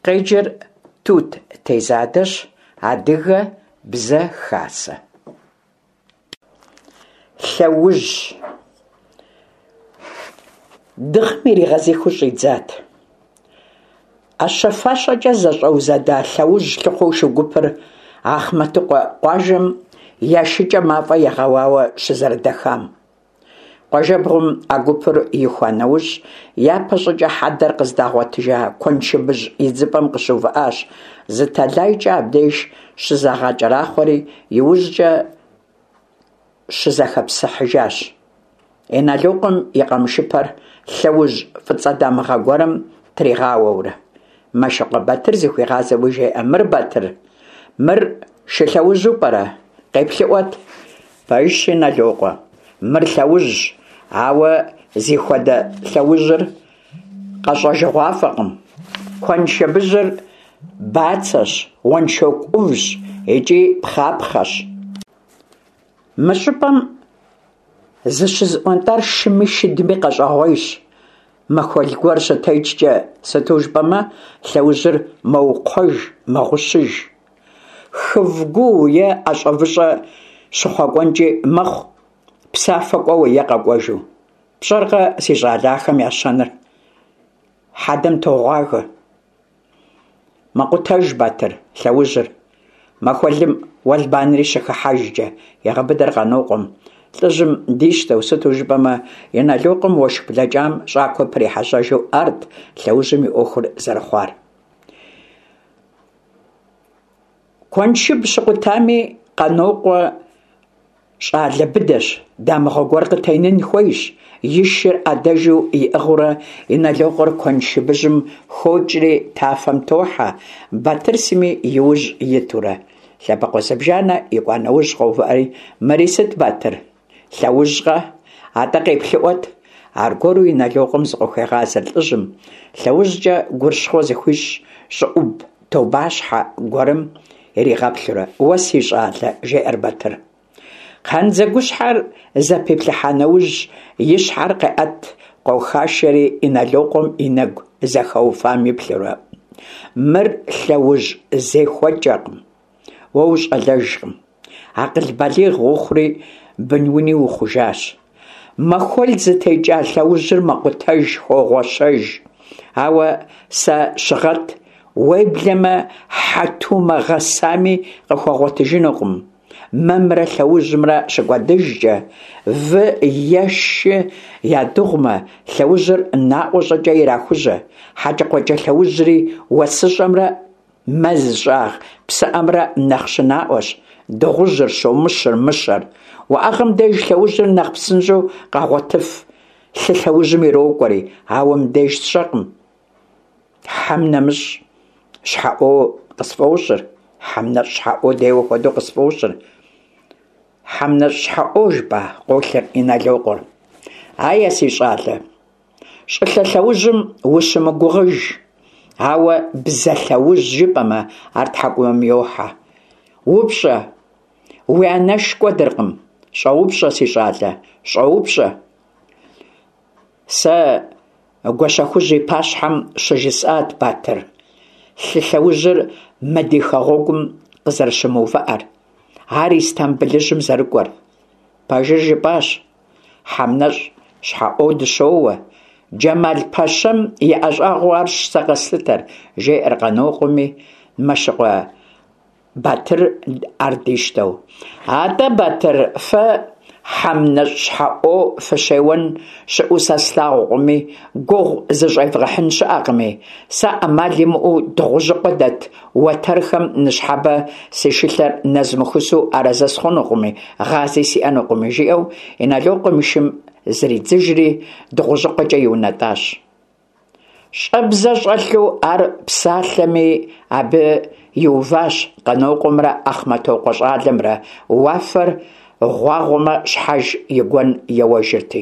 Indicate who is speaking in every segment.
Speaker 1: Къеджэр Тут Тезадэщ, Адыгэ бзэ хасэ. Лъэужь. Дыгъэм иригъэзыхыу щӏидзат. ӏэщэ-фащэкӏэ зэщӏэузэда лъэужь лъыхъуэу шу гупыр Ахъмэтыкъуэ къуажэм я шыкӏэ мафӏэ егъэуауэ щызэрыдэхам. Къуажэбгъум а гупыр ихуа нэужь, япэщӏыкӏэ хьэдэр къыздагъуэтыжа куэншыбыжь идзыпӏэм къыщыувыӏащ, зы тэлайкӏэ абдеж щызагъэкӏэрахъуэри, иужькӏэ щызэхэпсыхьыжащ. Иналокъуэм и къамышыпэр лъэужь фӏыцӏэ дамыгъэ гуэрым тригъауэурэ. Мэшыкъуэ Батыр зыхуигъазэуи жеӏэ, Мыр, Батыр, мыр шы лъэужьу пӏэрэ? Къеплъыӏуэт. Пэжщ, Иналокъуэ, мыр лъэужьщ, ауэ зихуэдэ лъэужьыр къэщӏэжыгъуафӏэкъым. Куэншыбыжьыр бацэщ, уэншоку ӏувщ икӏи пхъапхъэщ. Мы щӏыпӏэм зыщызыӏуэнтӏар шыми шыдми къэщӏэгъуейщ, махуэл гуэр щытекӏкӏэ, сыту жыпӏэмэ, лъэужьыр мэукхъуэж, мэгъущыж. Хыв гуу е ӏэщӏэвыщӏэ щыхъуэкӏуэнкӏи мэхъу, псафэ кӏуэуэ е къэкӏуэжу. Пщӏэркъэ, си щӏалэ, ахэм я щэныр? Хьэдэм тогъуагэ. Мэкъутэж, Батыр, лъэужьыр. Махуэлым уэлбанэри щыхыхьэжкӏэ, егъэбыдэр Къанокъуэм. Лӏыжьым дищтэу, сыту жыпӏэмэ, Иналокъуэм уэшх блэкӏам щӏакхъуэ прихьэжьэжу арт лъэужьым и ӏуэхур зэрыхъуар. Куэншыб щыкъутами, Къанокъуэ щӏалэ быдэщ, дамыгъэ гуэр къытенын хуейщ. И шыр ӏэдэжу иӏыгъыурэ Иналокъуэр куэншыбыжьым хокӏри тафэм тохьэ, Батыр сыми и ужь итурэ. Лъэбакъуэ зыбжанэ икӏуа нэужь къоувыӏэри, Мыри сыт, Батыр? Лъэужькъэ? Атӏэ къеплъыӏуэт. Аргуэру Иналокъуэм зыкъыхуегъазэр лӏыжьым, лъэужькӏэ гурыщхъуэ зыхуищӏ щӏыӏуб тобащхьэ гуэрым иригъэплъурэ, Уэ си щӏалэ, жеӏэр Батыр. Кхъандзэгущхьэр зэпиплъыхьа нэужь, и щхьэр къеӏэт, къохашэри Иналокъуэм и нэгу зэхэуфам иплъурэ, Мыр лъэужь зехуэкӏэкъым, уэ ущӏалэжкъым. Акъыл балигъ ухъури, бынуни ухъужащ. Махуэл зытекӏа лъэужьыр мэкъутэж, хогъуэщэж. Ауэ сэ щыгъэт, уеблэмэ хьэтумэ гъэсами къыхуэгъуэтыжынукъым. Мэмрэ лъэужьымрэ щыкӏуэдыжкӏэ, вы е шы ядыгъумэ, лъэужьыр наӏуэ щӏыкӏэ ирахужьэ. Хьэкӏэкхъуэкӏэ лъэужьри уэсыщӏэмрэ Мэз щӏагъ псыӏэмрэ нэхъ щынаӏуэщ, дыгъужьыр, щомыщыр, мыщэр. Уӏэгъэм деж лъэужьыр нэхъ псынщӏэу къагъуэтыф, лъы лъэужьым ирокӏуэри, ауэ мыбдеж сщӏэкъым. Хьэм нэмыщӏ щхьэӏуо къысфӏощӏыр, хьэм нэщӏ щхьэӏуо деуэ хуэдэу къысфӏощӏыр. Хьэм нэщӏ щхьэӏуо жыпӏа? къолъыр Иналокъуэр. Ае, си щӏалэ. Щӏылъэ лъэужьым ущымыгугъыж, ауэ бзэ лъэужь жыпӏэмэ, ар тхьэкӏумэм йохьэ. Упщӏэ, уи анэш кӏуэдыркъым. Щӏэупщӏэ, си щӏалэ, щӏэупщӏэ. Сэ Гуащэхужь и пащхьэм щыжысӏат, Батыр, лъы лъэужьыр мы ди хэгъуэгум къызэрыщымыувыӏэр, ар Истамбылыжьым зэрыкӏуэр. Пэжыр жыпӏащ. Хьэм нэщӏ щхьэӏуо дыщоуэ. Джэмал пэщэм и ӏэщӏагъэу арщ сэ къэслъытэр, жеӏэр Къанокъуэми, Мэшыкъуэ Батыр ар дищтэу. Атӏэ, Батыр, фэ хьэм нэщӏ щхьэӏуо фыщеуэн щыӏэу сэ слъагъукъыми, гугъу зыщӏевгъэхьын щыӏэкъыми, сэ ӏэмал имыӏэу Дыгъужьыкъуэ дэт Уэтэрхэм ныщхьэбэ си шылъэр нэзмыхусу арэзы схъунукъыми, гъази сиӏэнукъыми, жиӏэу Иналокъуэм и шым зридзыжри, Дыгъужьыкъуэкӏэ иунэтӏащ. Щӏэбзэ щӏэлъу ар псалъэми, абы иуващ Къанокъуэмрэ Ахъмэтокъуэ щӏалэмрэ, уафэр гъуагъуэмэ, щхьэж и гуэн еуэжырти.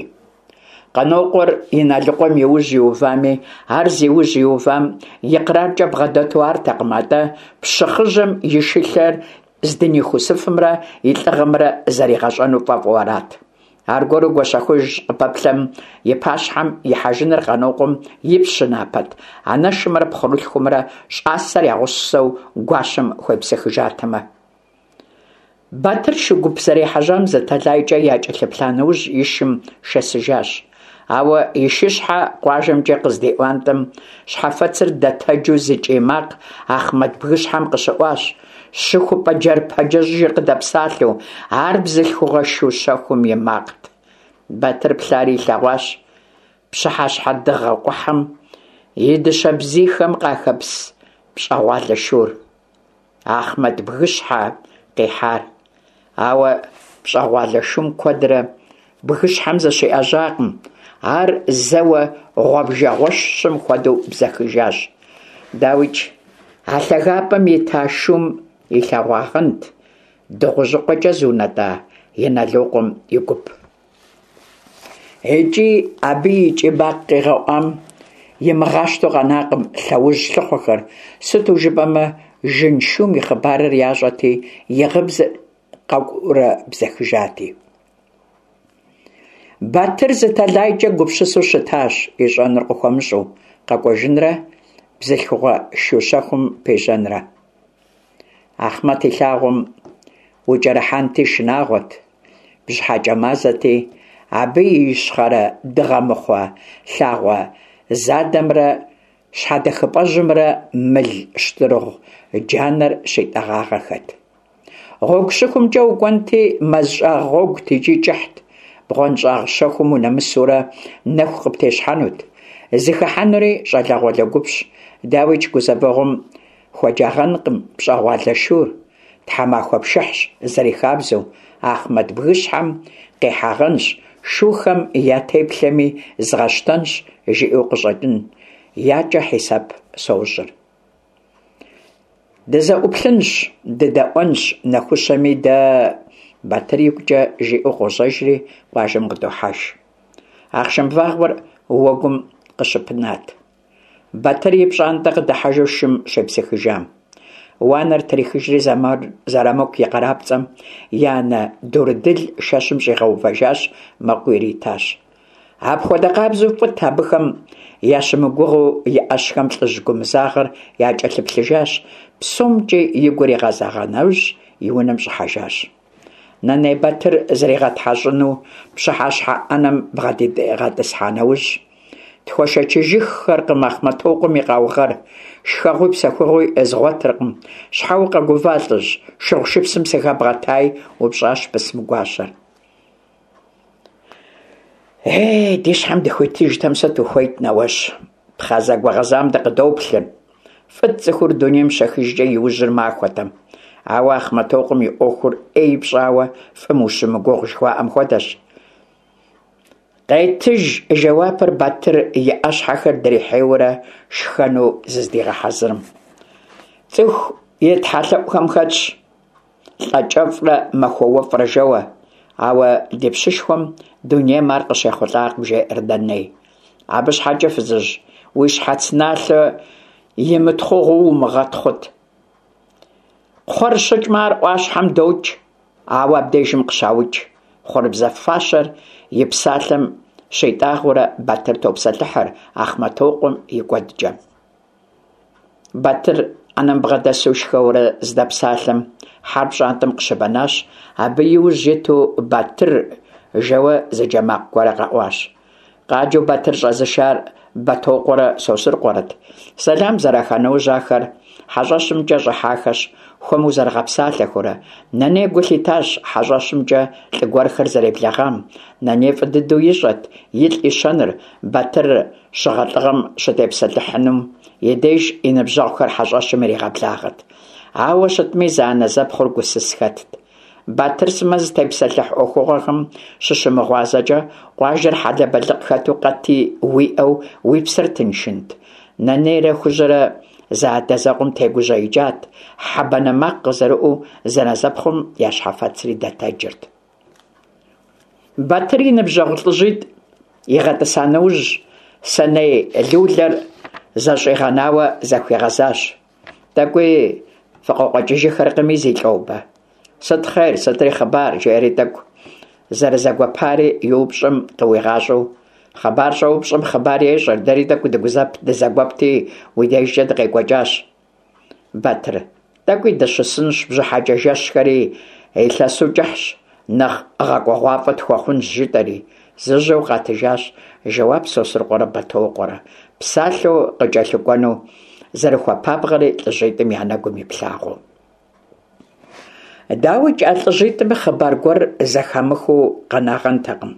Speaker 1: Къанокъуэр Иналыкъуэм и ужь иувами, ар зи ужь иувам икъраркӏэ бгъэдэту артэкъым, атӏэ пщы хъыжьэм и шылъэр здынихусыфымрэ и лӏыгъэмрэ зэригъэщӏэну фӏэфӏу арат. Аргуэру Гуащэхужь къыпэплъэм и пащхьэм ихьэжыныр Къанокъуэм и пщы напэт, анэшымрэ пхъурылъхумрэ щӏасэр я гъусэу гуащэм хуепсыхыжатэмэ. Батыр шу гуп зэрехьэжьам зы тэлайкӏэ якӏэлъыплъа нэужь и шым шэсыжащ. Ауэ и шыщхьэ къуажэмкӏэ къыздиӏуантӏэм, щхьэфэцыр дэтэджу зы кӏий макъ Ахъмэт бгыщхьэм къыщыӏуащ. Щыхупӏэ джэрпэджэжыр къыдэпсалъэу, ар бзылъхугъэ шу щэхум и макът. Батыр плъари илъэгъуащ пщыхьэщхьэ дыгъэ къухьэм и дыщэ бзийхэм къахэпс пщӏэгъуалэ шур. Ахъмэт бгыщхьэ къихьар. Ауэ пщӏэгъуалэ шум куэдрэ бгыщхьэм зыщиӏэжьакъым, ар зэуэ гъуэбжэгъуэщым хуэдэу бзэхыжащ. Дауикӏ, а лъагапӏэм ита шум илъэгъуагъэнт Дыгъужьыкъуэкӏэ зыунэтӏа Иналокъуэм и гуп. Икӏи абы и кӏий макъ къигъэӏуам имыгъащтэу къэнакъым лъэужь лъыхъуэхэр, сыту жыпӏэмэ, жын шум и хъыбарыр ящӏэти, и гъыбзэр къэкӏуурэ бзэхыжати. Батыр зы тэлайкӏэ гупсысэу щытащ, ищӏэнур къыхуэмыщӏэу, къэкӏуэжынрэ бзылъхугъэ шу щэхум пежьэнрэ. Ахъмэт и лъагъуэм укӏэрыхьэнти шынагъуэт, бжьыхьэкӏэ мазэти, абы и ищхъэрэ дыгъэмыхъуэ лъагъуэ задэмрэ щхьэдэхыпӏэжьымрэ мыл щтырыгъу джанэр щитӏэгъагъэхэт. Гъуэгу щыхумкӏэ укӏуэнти, мэз щӏагъ гъуэгут икӏи кӏыхьт, бгъуэнщӏагъ щэхум унэмысурэ нэху къыптещхьэнут. Зыхыхьэнури щӏалэгъуалэ гупщ, дауикӏ гузэвэгъуэм Хуэджагъэнкъым пщӏэгъуалэ шур, тхьэмахуэ пшыхьщ зэрихабзэу, Ахъмэт бгыщхьэм къихьагъэнщ, шухэм я теплъэми згъэщтэнщ, жиӏэу къыщӏэкӏын, якӏэ хьисэп сощӏыр. Дызэӏуплъынщ, дыдэӏуэнщ нэхущэми дэ, Батыр игукӏэ жиӏэу къожьэжри къуажэм къыдохьэж. Ахъшэм вагъуэр уэгум къыщыпынат. Батыр и пщӏантӏэ къыдыхьэжу шым щепсыхыжам. Уанэр трихыжри Зэрамыку и къарапцӏэм и анэ Дурдыл шэщым щӏигъэувэжащ, мэкъу иритащ. Апхуэдэ къабзэу фӏыт абыхэм ящымыгугъыу и ӏэщхэм лӏыжь гумызагъэр якӏэлъыплъыжащ, псомкӏи и гур игъэзэгъа нэужь и унэм щӏыхьэжащ. Нэней Батыр зригъэтхьэщӏыну пщыхьэщхьэ ӏэнэм бгъэдигъэтӏысхьа нэужь, Тхуэшэчыжыххэркъым Ахъмэтокъуэм и къаугъэр, шхэгъуи псэхугъуи згъуэтыркъым. Щхьэ укъэгува, лӏыжь, шыгъу-шыпсым сыхэбгъэтай? упщӏащ бысым гуащэр. Ей, ди щхьэм дыхуитыжтэм сыт ухуейт, нэуэжь? Пхъэ зэгуэгъэзам дыкъыдоплъыр. Фӏыт цӏыхур дунейм щехыжкӏэ и ужьыр махуэтэм. Ауэ Ахъмэтокъуэм и ӏуэхур ӏей пщӏауэ фӏым ущымыгугъ жыхуаӏэм хуэдэщ. Къетыж жэуапыр Батыр и ӏэщхьэхэр дрихьейуэрэ шхэну зыздигъэхьэзырым. Цӏыху и тхьэлъэӏухэм хэтщ лӏэкӏэфӏрэ махуэ уэфӏрэ жэуэ, ауэ ди пщышхуэм дунейм ар къыщехъулӏакъым, жеӏэр Нэней. Абы щхьэкӏэ, фызыжь, уи щхьэц налъэ имытхъугъэу умыгъэтхъут. Кхъуэр щыкӏмэ, ар ӏуащхьэм докӏ, ауэ абдежым къыщаукӏ. Хъурыбзэ фащэр и псалъэм щитӏагъэурэ Батыр топсэлъыхьыр Ахъмэтокъуэм и кӏуэдкӏэм. Батыр ӏэнэм бгъэдэсу шхэурэ здэпсалъэм, хьэр пщӏантӏэм къыщыбэнащ, абы и ужь иту Батыр жэуэ зы джэ макъ гуэрэ къэӏуащ. Къаджэу Батыр щӏэзышар Бэтокъуэрэ Сосрыкъуэрэт. Сэлам зэраха нэужь ахэр хьэщӏэщымкӏэ щӏыхьахэщ, хуэму зэрыгъэпсалъэхурэ. Нэней гу лъитащ хьэщӏэщымкӏэ лӏы гуэрхэр зэреблэгъам. Нэней фӏы дыдэу ищӏэт илӏ и щэныр, Батыр щыгъэлӏыгъэм щытепсэлъыхьынум и деж и ныбжьэгъухэр хьэщӏэщым иригъэблагъэт. Ауэ щытми, зэанэзэпхъур гусыс хэтт. Батыр сымэ зытепсэлъыхь ӏуэхугъуэхэм щыщымыгъуазэкӏэ, къуажэр хьэлэбэлыкъ хэту къэти уиӏэу уи псэр тыншынт. Нэнейрэ Хужьэрэ зэадэзэкъуэм тегужьеикӏат, хьэ банэ макъ къызэрыӏуу зэнэзэпхъум я щхьэфэцри дэтэджырт. Батыр и ныбжьэгъу лӏыжьитӏ игъэтӏыса нэужь, сэней лулэр зэщӏигъэнауэ захуигъэзащ. Тӏэкӏуи фыкъыкъуэкӏыжыхэркъыми, зи лӏобэ. Сыт хъер, сытри хъыбар, жеӏэри тӏэкӏу. зэрызэгуэпари и упщӏэм къыуигъащӏэу. Хъыбар щӏэупщӏэм хъыбар ещӏэр, дэри тӏэкӏу дызэгуэпти, уи дежкӏэ дыкъекӏуэкӏащ. Батыр, тӏэкӏуи дыщысынщ, бжьыхьэкӏэ жэщхэри илъэсу кӏыхьщ, нэхъ гъэкӏуэгъуафӏэ тхуэхъунщ, жытӏэри, зыжьэу къатыжащ жэуап Сосрыкъуэрэ Бэтокъуэрэ, псалъэу къыкӏэлъыкӏуэну зэрыхуэпабгъэри лӏыжьитӏым я нэгум иплъагъуэу. Дауикӏ, а лӏыжьитӏым хъыбар гуэр зэхамыхыу къэнагъэнтэкъым.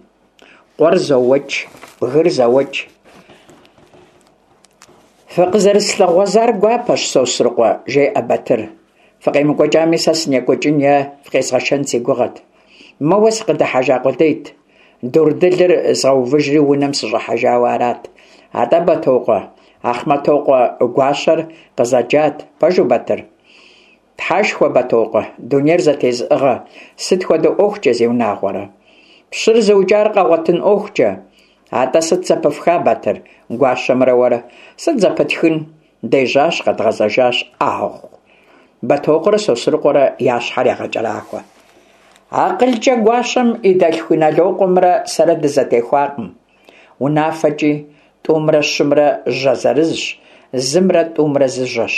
Speaker 1: Къуэр зоуэкӏ, бгыр зэуэкӏ. Фыкъызэрыслъыгъуэзар гуапэщ, Сосрыкъуэ, жеӏэ Батыр. Фыкъемыкӏуэкӏами, сэ сынекӏуэкӏын е фыкъезгъэшэн си гугъэт. Моуэ сыкъыдыхьэжа къудейт. Дурдылыр згъэувыжри унэм сыщӏыхьэжауэ арат. Атӏэ, Бэтокъуэ, Ахъмэтокъуэ гуащэр къызэджат. Пэжу, Батыр? Тхьэшхуэ, Бэтокъуэ, дунейр зэтезыӏыгъэ, сыт хуэдэ ӏуэхукӏэ, зиунагъуэрэ? Пщыр зыукӏар къэгъуэтын ӏуэхукӏэ. Атӏэ сыт зэпыфха, Батыр, гуащэмрэ уэрэ? Сыт зэпытхын? Дежьащ, къэдгъэзэжащ, ӏэгъу. Бэтокъуэрэ Сосрыкъуэрэ я щхьэр ягъэкӏэрахъуэ. Акъылкӏэ гуащэм и дэлъху Иналокъуэмрэ сэрэ дызэтехуакъым. Унафэкӏи, тӏумрэ щымрэ жьэ зырызщ, зымрэ тӏумрэ зы жьэщ.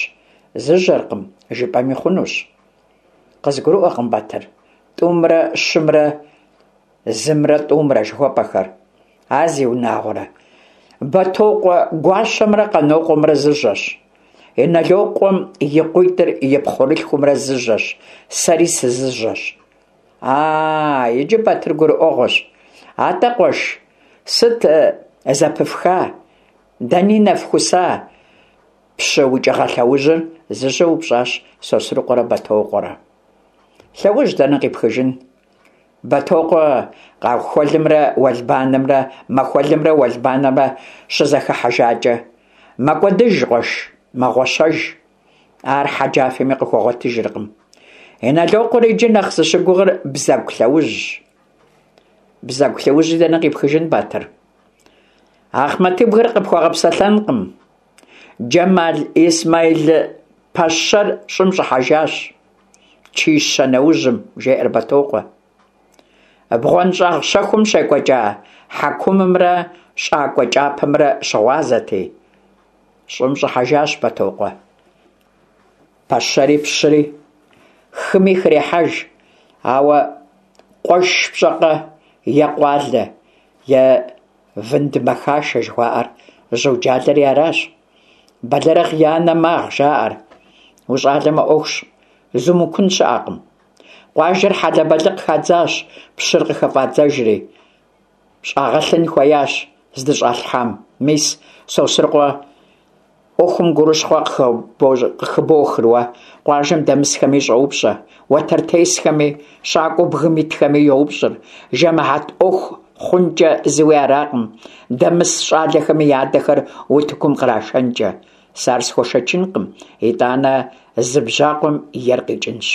Speaker 1: Зыжьэркъым, жыпӏэми хъунущ. Къызгурыӏуэкъым, Батыр, тӏумрэ щымрэ зымрэ тӏумрэ жыхуэпӏэхэр. А зиунагъуэрэ, Бэтокъуэ гуащэмрэ Къанокъуэмрэ зы жьэщ. Иналокъуэм и къуитӏыр и пхъурылъхумрэ зы жьэщ, сэри сызыжьэщ. А, иджы Батыр гурыӏуэгъуэщ. Атӏэ, къуэш, сыт зэпыфха? Дэни нэфхуса? Пщы укӏыгъэ лъэужьыр зыжьэу упщӏащ Сосрыкъуэрэ Бэтокъуэрэ. Лъэужь дэнэ къипхыжын? Бэтокъуэ къахуэлымрэ уэлбанэмрэ, махуэлымрэ уэлбанэмрэ щызэхыхьэжакӏэ, мэкӏуэдыж, къуэш, мэгъуэщэж. Ар хьэджафэми къыхуэгъуэтыжыркъым. Иналокъуэр иджы нэхъ зыщыгугъыр бзэгу лъэужьщ. Бзэгу лъэужьи дэнэ къипхыжын, Батыр? Ахъмэтыбгыр къыпхуэгъэпсэлъэнкъым. Джэмал Исмаил пэщэр щӏым щӏыхьэжащ. Чищэ нэужьым, жеӏэр Бэтокъуэ. Бгъуэнщӏагъ щэхум щекӏуэкӏа хьэкумымрэ щӏакӏуэ кӏапэмрэ щыгъуазэти, щӏым щӏыхьэжащ Бэтокъуэ. Пэщэри пщыри, хыми хрехьэж, ауэ къуэш пщӏэкъэ е къуалэ, е вынд мэхашэ жыхуаӏэр жьуджалэри аращ. Бэлэрыгъ и анэ магъ жаӏэр. Ущӏалэмэ ӏуэхущ, зумыкун щыӏэкъым. Къуажэр хьэлэбэлыкъ хадзащ, пщыр къыхыфӏадзэжри. Щӏагъэлъын хуеящ здыщӏалъхьам. Мис, Сосрыкъуэ ӏуэхум гурыщхъуэ къыхыбохыр уэ, къуажэм дэмысхэми щӏоупщӏэ, уэтэртесхэми, щакӏуэу бгым итхэми йоупщӏыр, жэмыхьэт ӏуэху хъункӏэ зыуи аракъым, дэмыс щӏалэхэми я адэхэр утыкум кърашэнкӏэ. Сэ ар схуэшэчынкъым, итӏанэ зы бжьакъуэм ер къикӏынщ.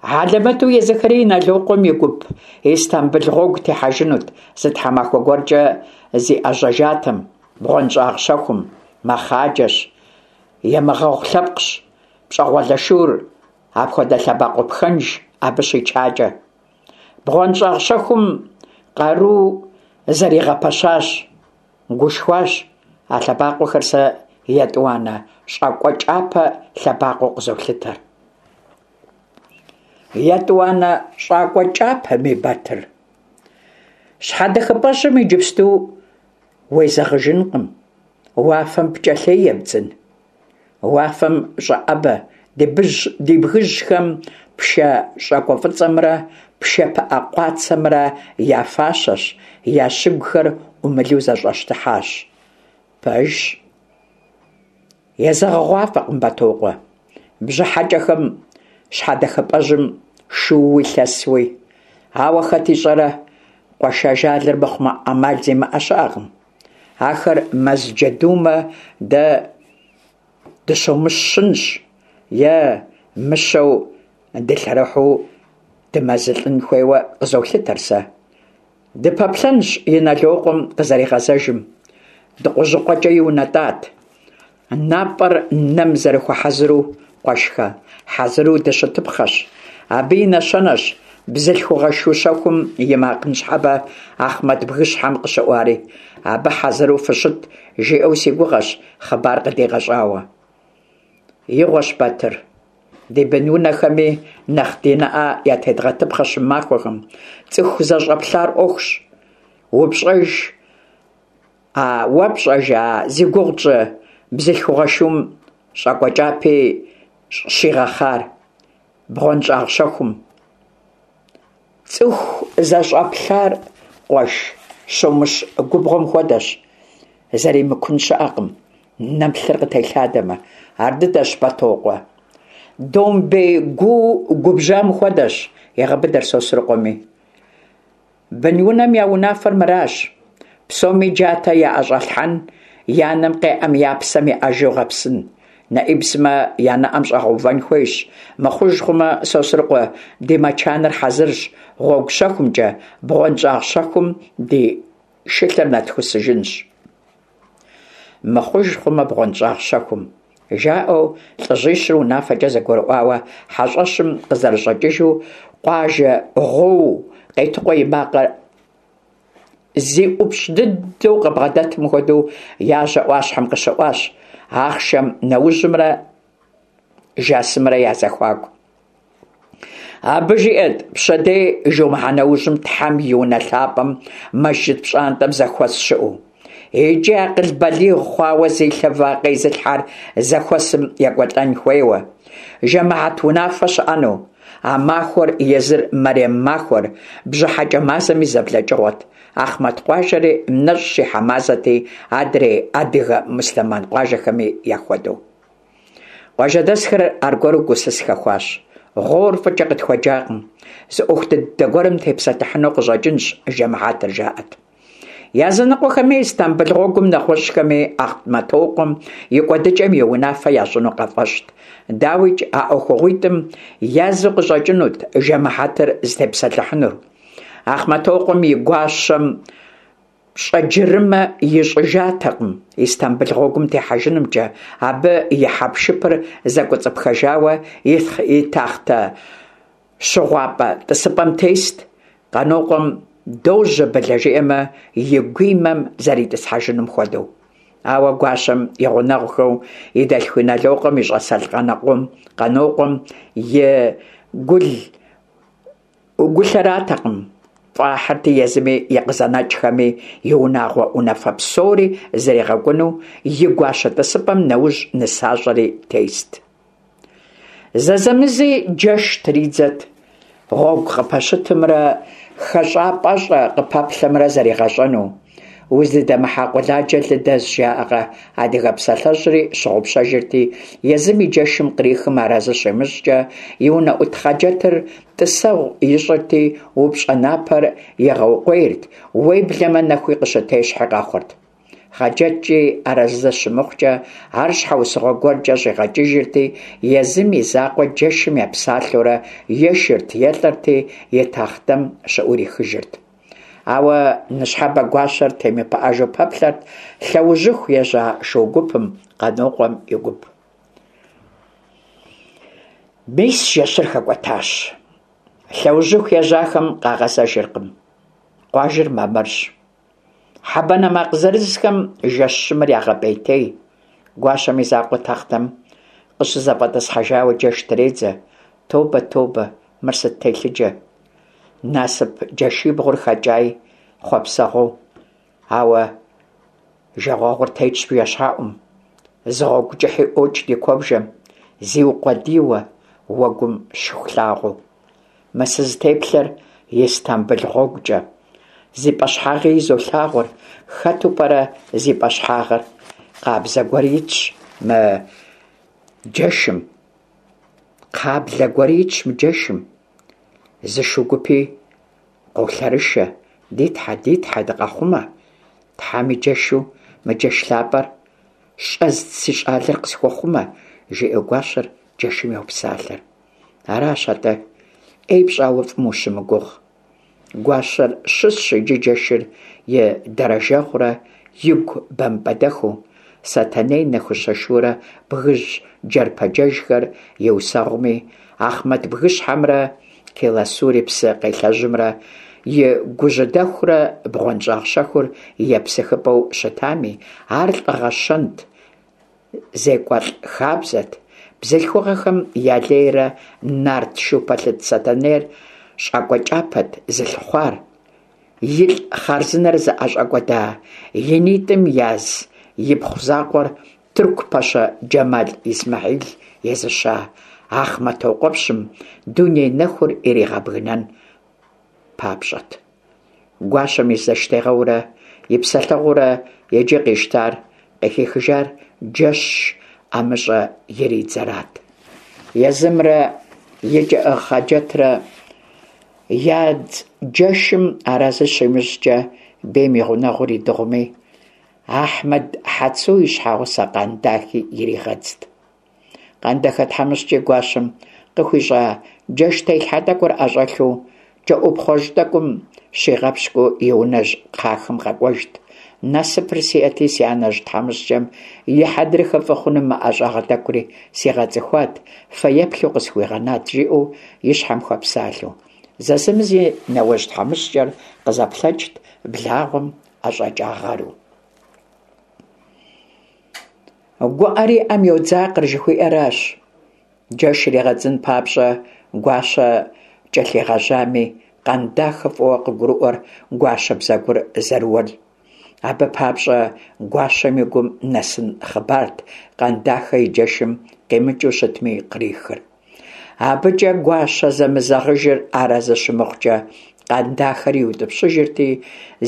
Speaker 1: Хьэлэмэту езыхэри Иналокъуэм и гуп Истамбыл гъуэгу техьэжынут, зы тхьэмахуэ гуэркӏэ зиӏэжьэжатэм, бгъуэнщӏагъ щэхум, мэхъаджэщ, емыгъэгъу лъэпкъщ, пщӏэгъуалэ шур апхуэдэ лъэбакъуэ пхэнж абы щичакӏэ. Бгъуэнщӏагъ щэхум къару зэригъэпэщащ, гушхуащ, а лъэбакъуэхэр сэ етӏуанэ щӏакӏуэкӏапэ лъэбакъуэу къызолъытэр. Етӏуанэ щӏакӏуэ кӏапэми, Батыр. Щхьэдэхыпӏэжьым иджыпсту уезэгъыжынкъым, уафэм пкӏэлъей ебдзын. Уафэм щӏэӏэбэ ди бгыжьхэм пшэ щӏакӏуэ фӏыцӏэмрэ пшэ пыӏэ къуацэмрэ я фащэщ, я щыгухэр ӏумылу зэщӏэщтыхьащ. Пэжщ. Езэгъыгъуафӏэкъым Бэтокъуэ. Бжьыхьэкӏэхэм щхьэдэхыпӏэжьым шууи лъэсуи. Ауэ хэт ищӏэрэ, къуэш ажалыр мыхъумэ ӏэмал зимыӏэ щыӏэкъым. Ахэр мэз джэдумэ дэ дыщомыщынщ е мыщэу дылъэрыхьу дымэзылӏын хуейуэ къызолъытэр сэ. Дыпэплъэнщ Иналокъуэм къызэригъэзэжым. Дыкъужьыкъуэкӏэ иунэтӏат. Напӏэр нэм зэрыхуэхьэзыру, къуэшхэ, хьэзыру дыщытыпхъэщ. Абы и нэщэнэщ. Бзылъхугъэ шу щэхум и макъ ныщхьэбэ Ахъмэт бгыщхьэм къыщыӏуари. Абы хьэзыру фыщыт, жиӏэу си гугъэщ хъыбар къыдигъэщӏауэ. Игъуэщ, Батыр. Ди бынунэхэми нэхъ ди нэӏэ ятедгъэтыпхъэщ мы махуэхэм. Цӏыху зэщӏэплъар ӏуэхущ. Упщӏэж, а уэ пщӏэж а зи гугъу тщӏы бзылъхугъэ шум щӏакӏуэ кӏапи щигъэхъар бгъуэнщӏагъ щэхум. Цӏыху зэщӏэплъар, къуэш, щомыщ губгъуэм хуэдэщ, зэримыкун щыӏэкъым, нэм лъыр къытелъадэмэ. Ар дыдэщ, Бэтокъуэ. Домбей гуу губжьам хуэдэщ, егъэбыдэр Сосрыкъуэми. Бынунэм я унафэр мыращ, псоми джатэ яӏэщӏэлъхьэн, я нэм къеӏэм я псэм еӏэжу гъэпсын. Нэӏиб сымэ я нэӏэм щӏэгъэувэн хуейщ. Мыхъуж хъумэ, Сосрыкъуэ, ди мэчаныр хьэзырщ, гъуэгу щэхумкӏэ, бгъуэнщӏагъ щэхум ди шылъэр нэтхусыжынщ. Мыхъуж хъумэ, бгъуэнщӏагъ щэхум. Жаӏэу лӏыжьищыр унафэкӏэ зэгурыӏуауэ хьэщӏэщым къызэрыщӏэкӏыжу, къуажэ гъуоу Къетыкъуэ и макъыр зи ӏупщӏ дыдэу къыбгъэдэтым хуэдэу яжьэ ӏуащхьэм къыщыӏуащ, ахъшэм нэужьымрэ жасымрэ я зэхуаку. Абы жиӏэрт пщэдей жумыхьэ нэужьым Тхьэм и унэ лъапӏэм мэжджыт пщӏантӏэм зэхуэс щыӏэу. Икӏи акъыл балигъ хъуауэ зи лъэ вакъэ изылъхьэр зэхуэсым екӏуэлӏэн хуейуэ. Жэмыхьэт унафэ щыӏэну. А махуэр езыр мэрем махуэр, бжьыхьэкӏэ мазэм и зэблэкӏыгъуэт. Ахъмэт къуажэри нэщӏ щихьэ мазэти, адрей адыгэ муслъымэн къуажэхэми яхуэдэу. Къуажэдэсхэр аргуэру гусыс хэхуащ. Гъуор фӏыкӏэ къытхуэджакъым. Зы ӏуэху дыдэ гуэрым тепсэлъыхьыну къыщӏэкӏынщ жэмыхьэтыр, жаӏэт. Языныкъуэхэми Истамбыл гъуэгум, нэгъуэщӏхэми Ахъмэтокъуэм и кӏуэдыкӏэм и унафэ ящӏыну къафӏэщӏт. Дауикӏ, а ӏуэхугъуитӏым язу къыщӏэкӏынут жэмыхьэтыр зытепсэлъыхьынур. Ахъмэтокъуэм и гуащэм Пщӏэджырымэ ищӏыжатэкъым Истамбыл гъуэгум техьэжынымкӏэ, абы и хьэпшыпыр зэкӏуэцӏыпхэжауэ и тахътэ щыгъуапӏэ тӏысыпӏэм тест, Къанокъуэм дожьэ Былэ жиӏэмэ, и гуимэм зэритӏысхьэжынум хуэдэу. Ауэ гуащэм и гъунэгъухэу и дэлъху Иналокъуэм и щӏасэлӏ Къанокъуэм и гул Гулъэратэкъым, фӏахьырти езыми и къызэнэкӏхэми и унагъуэ унафэ псори зэригъэкӏуну и гуащэ тӏысыпӏэм нэужь нысащӏэри тест. Зэзэмызи джэш тридзэт, гъуэгу къыпэщытымрэ хэщӏапӏэщӏэ къыпэплъэмрэ зэригъэщӏэну. Уздыдэмыхьа къуэладжэ лы дэзщ жаӏэкъэ, адыгэ псалъэжьри щыгъупщэжырти, езым и джэшым кърихым арэзы щимыщӏкӏэ, и унэӏут Хъаджэтыр тӏысэгъу ищӏырти, упщӏэ напэр игъэукъуейрт, уеблэмэ нэхуи къыщытещхьи къэхъурт. Хъаджэткӏи арэзы щымыхъукӏэ, ар щхьэусыгъуэ гуэркӏэ щӏигъэкӏыжырти, езым и закъуэ джэшым епсалъэурэ ешырт, елӏэрти, и тахътэм щыӏурихыжырт. Ауэ ныщхьэбэ гуащэр темыпыӏэжу пэплъэрт лъэужьыху ежьа шу гупым, Къанокъуэм и гуп. Мис жэщыр хэкӏуэтащ. Лъэужьыху ежьахэм къагъэзэжыркъым. Къуажэр мамырщ. Хьэ банэ макъ зырызхэм жэщ щымыр ягъэпӏейтей. Гуащэм и закъуэ тахътэм къыщызэфӏэтӏысхьэжауэ джэш тредзэ. Тобэ, тобэ, мыр сыт телъыджэ! Насып джэшибгъур хэкӏай хъуэпсэгъуэу, ауэ жагъуэгъур тетщ бжэщхьэӏум. Зы гъуэгу кӏыхьи ӏуокӏ ди куэбжэм, зиукъуэдийуэ уэгум Шыхулъагъуэу. Мы сызытеплъэр Истамбыл гъуэгукӏэ. Зи пӏэщхьагъи изолъагъур, хэту пӏэрэ зи пӏэщхьагъыр? Къабзэ гуэр итщ мы джэшым. Кхъаблэ гуэр итщ мы джэшым. Зы шу гупи къолъэрышэ, ди тхьэ, ди тхьэ, дыкъэхъумэ. Тхьэм и джэшу мы джэш лъапӏэр щӏэздз си щӏалэр къысхуэхъумэ, жиӏэу гуащэр джэшым йопсалъэр. Аращ атӏэ, ӏей пщӏауэ фӏым ущымыгугъ. Гуащэр щысщ иджы джэшыр и дэрэжэгъурэ игу бампӏэдэхыу, Сэтэней нэхущэ шурэ бгыжь джэрпэджэжхэр и усэгъуми, Ахъмэт бгыщхьэмрэ Келасури псы къелъэжьымрэ и гужьыдэхурэ бгъуэнщӏагъ щэхур и епсыхыпӏэу щытами, ар лӏыгъэ щэнт, зекӏуэлӏ хабзэт, бзылъхугъэхэм я лейрэ нарт шу пэлъыт Сэтэнейр щӏакӏуэ кӏапэт зылъыхъуар, илӏ хъарзынэр зыӏэщӏэкӏуэда и нитӏым яз ипхъу закъуэр тырку пэщэ Джэмал Исмэхьил езыща Ахъмэтокъуэпщым дуней нэхур иригъэбгынэн папщӏэт. Гуащэм и зэштегъэурэ и псэлъэгъуурэ иджы къищтар, къыхихыжар джэш ӏэмыщӏэ иридзэрат. Езымрэ и кӏыӏыгъ Хъаджэтрэ ядз джэшым арэзы щимыщӏкӏэ, бейм и гъунэгъур идыгъуми, Ахьмэд Хьэцу и щхьэгъусэ Къандахи иригъэдзт. Къандахэ тхьэмыщкӏи гуащэм къыхуищӏа джэш телъхьэ тӏэкӏур ӏэщӏэлъу, кӏэӏупхъуэжь тӏэкӏум щигъэпщкӏуу и унэжь кхъахэм къэкӏуэжт. Насыпыр сиӏэти, си анэжь тхьэмыщкӏэм и хьэдрыхэ фӏы хъуным мы ӏэщӏагъэ тӏэкӏури сигъэцӏыхуат, фэеплъу къысхуигъэнат, жиӏэу и щхьэм хуэпсалъэу. Зэзэмызи нэуэжь тхьэмыщкӏэр къызэплъэкӏт благъуэм ӏэщӏэкӏа гъэру. Гуӏэр и ӏэм йодзакъэр жыхуиӏэращ. Джэш иригъэдзын папщӏэ Гуащэ кӏэлъигъэжьами, Къандахэ фӏыуэ къыгурыӏуэр гуащэ бзэгур зэрыуэр. Абы папщӏэ гуащэм и гум нэсын хъыбарт Къандахэ и джэшым къимыкӏыу щытми кърихыр. Абыкӏэ гуащэ зэмызэгъыжыр арэзы щымыхъукӏэ, Къандахэр иутӏыпщыжырти,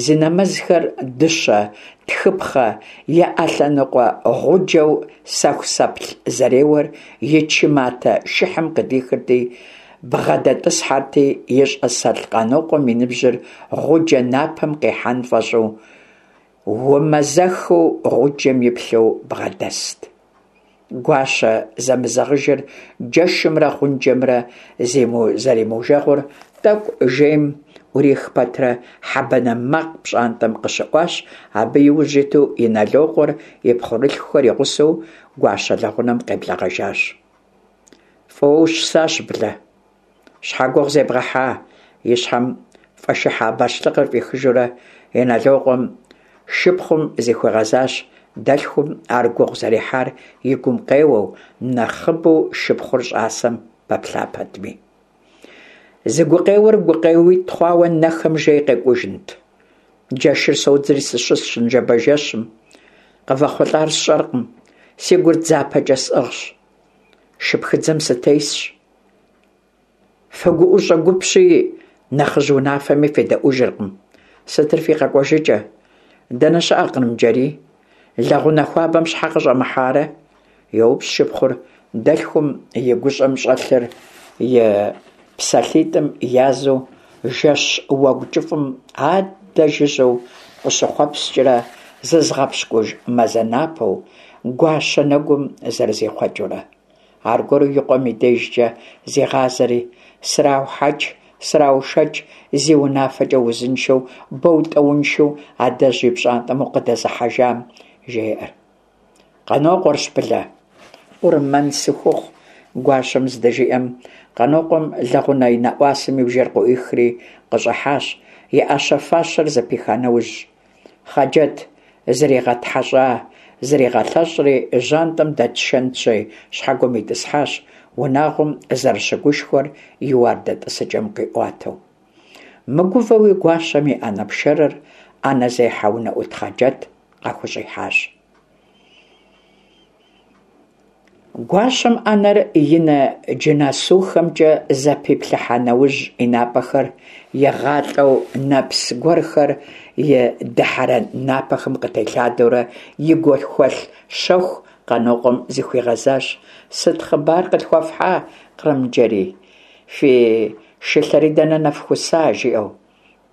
Speaker 1: зи нэмэзхэр дыщэ тхыпхъэ и ӏэлъэныкъуэ гъуджэу сэхусэплъ зэреуэр и чы матэ шыхьым къыдихырти, бгъэдэтӏысхьэрти, и щӏасэлӏ Къанокъуэм и ныбжьыр гъуджэ напэм къихьэн фӏэщӏу, умэзэхыу гъуджэм иплъэу бгъэдэст. Гуащэ зэмызэгъыжыр джэшымрэ гъунджэмрэ зэримыужэгъур тӏэкӏу жейм ӏурих пэтрэ хьэ банэ макъ пщӏантӏэм къыщыӏуащ, абы иужь иту Иналокъуэр и пхъурылъхухэр и гъусэу гуащэ лэгъунэм къеблэгъэжащ. Фӏыуэ ущысащ, Былэ. Щхьэ гугъу зебгъэхьа? И щхьэм фӏэшыхьа бащлъыкъыр фӏихыжурэ Иналокъуэм шыпхъум зыхуигъэзащ, дэлъхум ар гугъу зэрехьар и гум къеуэу, нэхъыбэу шыпхъур щӏасэм пэплъа пэтми. Зы гукъеуэр гукъеуитӏ хъуауэ нэхэм жей къекӏужынт. Джэшыр содзри сыщысщ ныжэбэ жэщым. Къывэхъулӏар сщӏэркъым, си гур дзапэкӏэ сӏыгъщ. Шыпхыдзэм сытесщ. Фыгуӏущӏэ гупщи, нэхъыжь унафэми федэӏужыркъым. Сытыр фи къэкӏуэжыкӏэ? Дэнэ щыӏэ Кърымджэрий? Лэгъунэ хуабэм щхьэ къыщӏэмыхьарэ? Йоупщӏ шыпхъур, дэлъхум и гущӏэм щӏэлъыр и псалъитӏым язу жэщ уэгу кӏыфӏым адэ жыжьэу къыщыхъуэпскӏрэ зызыгъэпщкӏуж мазэ напэу гуащэ нэгум зэрызихъуэкӏыурэ. Аргуэру и къуэм и дежкӏэ зигъазэри, сраухьэкӏ, сраушэкӏ, зи унафэкӏэ узыншэу, бэу-тӏэуншэу адэжь и пщӏантӏэм укъыдэзыхьэжам, жеӏэр. Къанокъуэрщ, Былэ. Къурмэн сыхухъу, гуащэм здыжиӏэм, Къанокъуэм лэгъунэ и нэӏуасэм и бжэр къыӏуихри къыщӏыхьащ, и ӏэщэ-фащэр зэпиха нэужь. Хъаджэт зригъэтхьэщӏа, зригъэлъэщӏри, жьантӏэм дэт шэнтжьей щхьэгуэм итӏысхьащ, унагъуэм зэрыщыгушхуэр и уардэ тӏысыкӏэм къиӏуатэу. Мыгувэуи гуащэм и ӏэнэ пшэрыр ӏэнэзехьэ унэӏут Хъаджэт къахущӏихьащ. Гуащэм ӏэнэр и нэ джынасухэмкӏэ зэпиплъыхьа нэужь и напӏэхэр игъалӏэу нэпс гуэрхэр и дыхьэрэн напэхэм къытелъадэурэ и гухэлъ щэху Къанокъуэм зыхуигъэзащ: Сыт хъыбар къытхуэфхьа, Кърымджэрий? Фи шылъэри дэнэ нэфхуса? жиӏэу.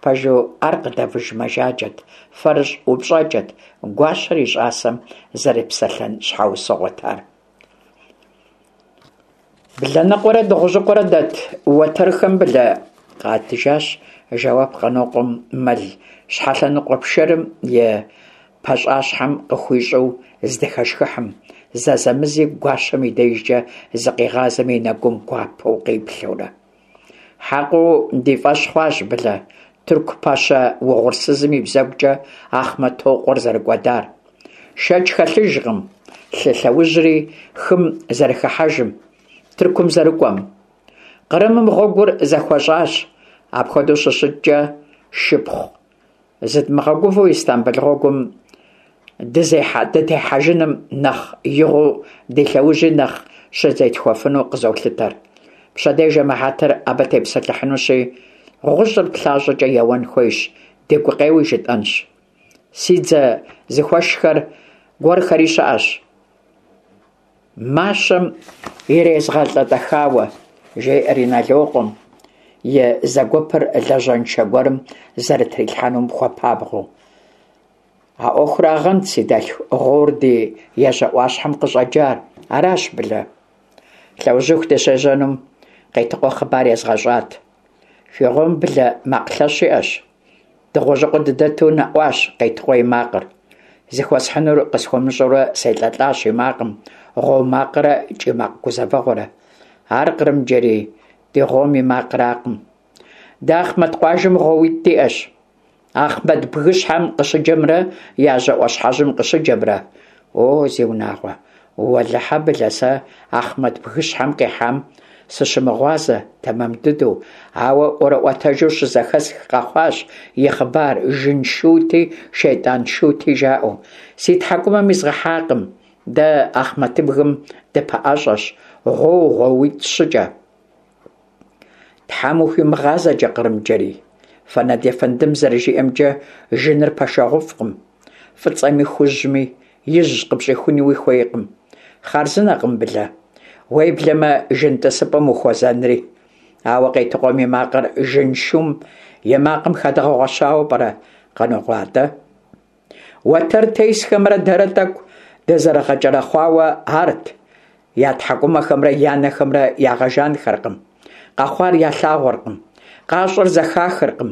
Speaker 1: Пэжу, ар къыдэвыж мэжаджэт, фэрыщӏ упщӏэкӏэт, гуащэр и щӏасэм зэрепсэлъэн щхьэусыгъуэт ар. Блэныкъуэрэ Дыгъужьыкъуэрэ дэт уэтэрхэм Былэ къатыжащ жэуап Къанокъуэм мэл щхьэлъэныкъуэ пшэрым и пащӏащхьэм къыхуищӏу здыхэшхыхьым, зэзэмызи гуащэм и дежкӏэ зыкъигъазэм и нэгум гуапэу къиплъэурэ. Хьэкъыу ди фӀэщ хъуащ, Былэ, тырку пэщэ угъурсызым и бзэгукӀэ Ахъмэтокъуэр зэрыкӀуэдар. Шэч хэлъыжкъым лъы лъэужьри хым зэрыхыхьэжым, Тыркум зэрыкӀуэм. Кърымым гъуэгур зэхуэщӀащ. Апхуэдэу щыщыткӀэ, шыпхъу, зыдмыгъэгувэу Истамбыл гъуэгум дытехьэжыным нэхъ игъуэу ди лъэужьи нэхъ щызетхуэфыну къызолъытэр. Пщэдей жэмыхьэтыр абы тепсэлъыхьынущи, гъущӏыр плащӀэкӀэ еуэн хуейщ, ди гукъеуи жытӀэнщ. Си дзэ зыхуэшхэр гуэрхэри щыӀэщ. Мащэм ирезгъэлӏэтӏэхауэ, жеӏэр Иналокъуэм, и зэгуэпыр лажьэншэ гуэрым зэрытрилъхьэнум хуэпабгъэу. А ӏуэхурагъэнт, си дэлъху, гъуор ди ежьэӏуащхьэм къыщӏэджар. Аращ, Былэ. Лъэужьыху дыщежьэнум Къетыкъуэ хъыбар езгъэщӏат. Фи гъуом Былэ макъ лъэщ иӏэщ. Дыгъужьыкъуэ дыдэту нэӏуащ Къетыкъуэ и макъыр. Зыхуэсхьынур къысхуэмыщӏэурэ селӏэлӏащ и макъым, гъуо макърэ кӏий макъ гузэвэгъуэрэ. Ар Кърымджэрий ди гъуом и макъракъым. Дэ Ахъмэт къуажэм гъуоуитӏ диӏэщ. Ахъмэт бгыщхьэм къыщыджэмрэ яжьэ ӏуащхьэжьым къыщыджэмрэ. О, зиунагъуэ, уэлэхьэ, Былэ, сэ Ахъмэт бгыщхьэм къихьам сыщымыгъуазэ тэмэм дыдэу, ауэ ӏуэрыӏуэтэжу щызэхэсх къэхъуащ и хъыбар жын шути, шейтӏан шути жаӏэу. Си тхьэкӏумэм изгъэхьакъым, дэ Ахъмэтыбгым дыпэӏэщӏэщ, гъуоу гъуоуитӏ-щыкӏэ. Тхьэм ухуимыгъазэкӏэ, Кърымджэрий. Фэнэд ефэндым зэрыжиӏэмкӏэ, жыныр пэшэгъуфӏкъым. Фӏыцӏэми хужьми, ижь къыпщӏихунуи хуейкъым. Хъарзынэкъым, Былэ. Уеблэмэ, жын тӏысыпӏэм ухуэзэнри. Ауэ Къетыкъуэм и макъыр жын шум и макъым хэдгъэгъуэщауэ пӏэрэ, Къанокъуэ атӏэ? Уэтэр тесхэмрэ дэрэ тӏэкӏу дызэрыгъэкӏэрэхъуауэ арт, я тхьэкӏумэхэмрэ я нэхэмрэ ягъэжанхэркъым, къэхъуар ялъагъуркъым, къащӏэр зэхахыркъым,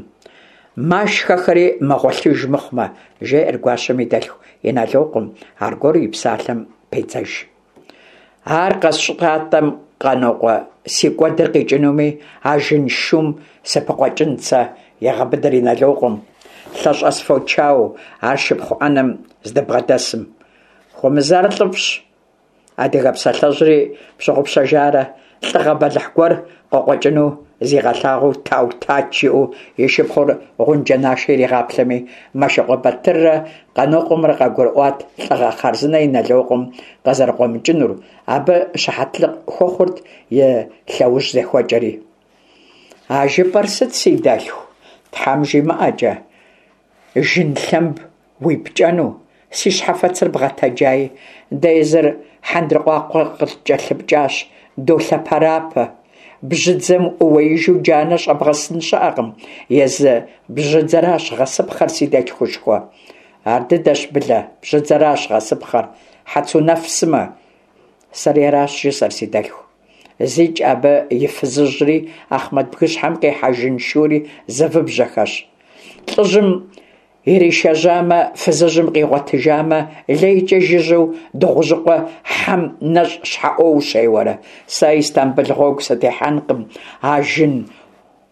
Speaker 1: машхэхэри мэгъуэлъыж мыхъумэ, жеӏэр гуащэм и дэлъху Иналокъуэм, аргуэру и псалъэм педзэж. Ар къэсщӏатэм, Къанокъуэ, си кӏуэдыр къикӏынуми, а жын шум сыпыкъуэкӏынт сэ, егъэбыдэр Иналокъуэм, лъэщӏэс фочауэу ар шыпхъу ӏэнэм здыбгъэдэсым. Хуэмызар лӏыфӏщ. Адыгэ псалъэжьри пщыгъупщэжарэ, лӏыгъэ бэлыхь гуэр къыкъуэкӏыну зигъэлъагъуу тау-тач жиӏэу и шыпхъур гъунджэ нашэ иригъаплъэми, Мэшыкъуэ Батыррэ Къанокъуэмрэ къагурыӏуат лӏыгъэ хъарзынэ Иналокъуэм къызэрыкъуэмыкӏынур, абы щыхьэтлыкъ хуэхъурт и лъэужь зехуэкӏэри. А жыпӏэр сыт, си дэлъху, Тхьэм жимыӏэкӏэ, жын лъэмб уипкӏэну, си щхьэфэцыр бгъэтэджаи, дэ езыр хьэндыркъуакъуэ къыткӏэлъыпкӏащ, долъэпэрапэ. Бжьыдзэм ууеижу джанэ щӏэбгъэсын щыӏэкъым, езы бжьыдзэращ гъэсыпхъэр, си дэлъхушхуэ. Ар дыдэщ, Былэ, бжьыдзэращ гъэсыпхъэр, Хьэцунэф сымэ. Сэри аращ жысӏэр, си дэлъху. Зикӏ абы и фызыжьри, Ахъмэт бгыщхьэм къихьа жын шури зэвыбжьэхэщ. Лӏыжьым иришэжьамэ, фызыжьым къигъуэтыжамэ, лейкӏэ жыжьэу Дыгъужьыкъуэ хьэм нэщӏ щхьэӏуо ущеуэрэ? Сэ Истамбыл гъуэгу сытехьэнкъым, а жын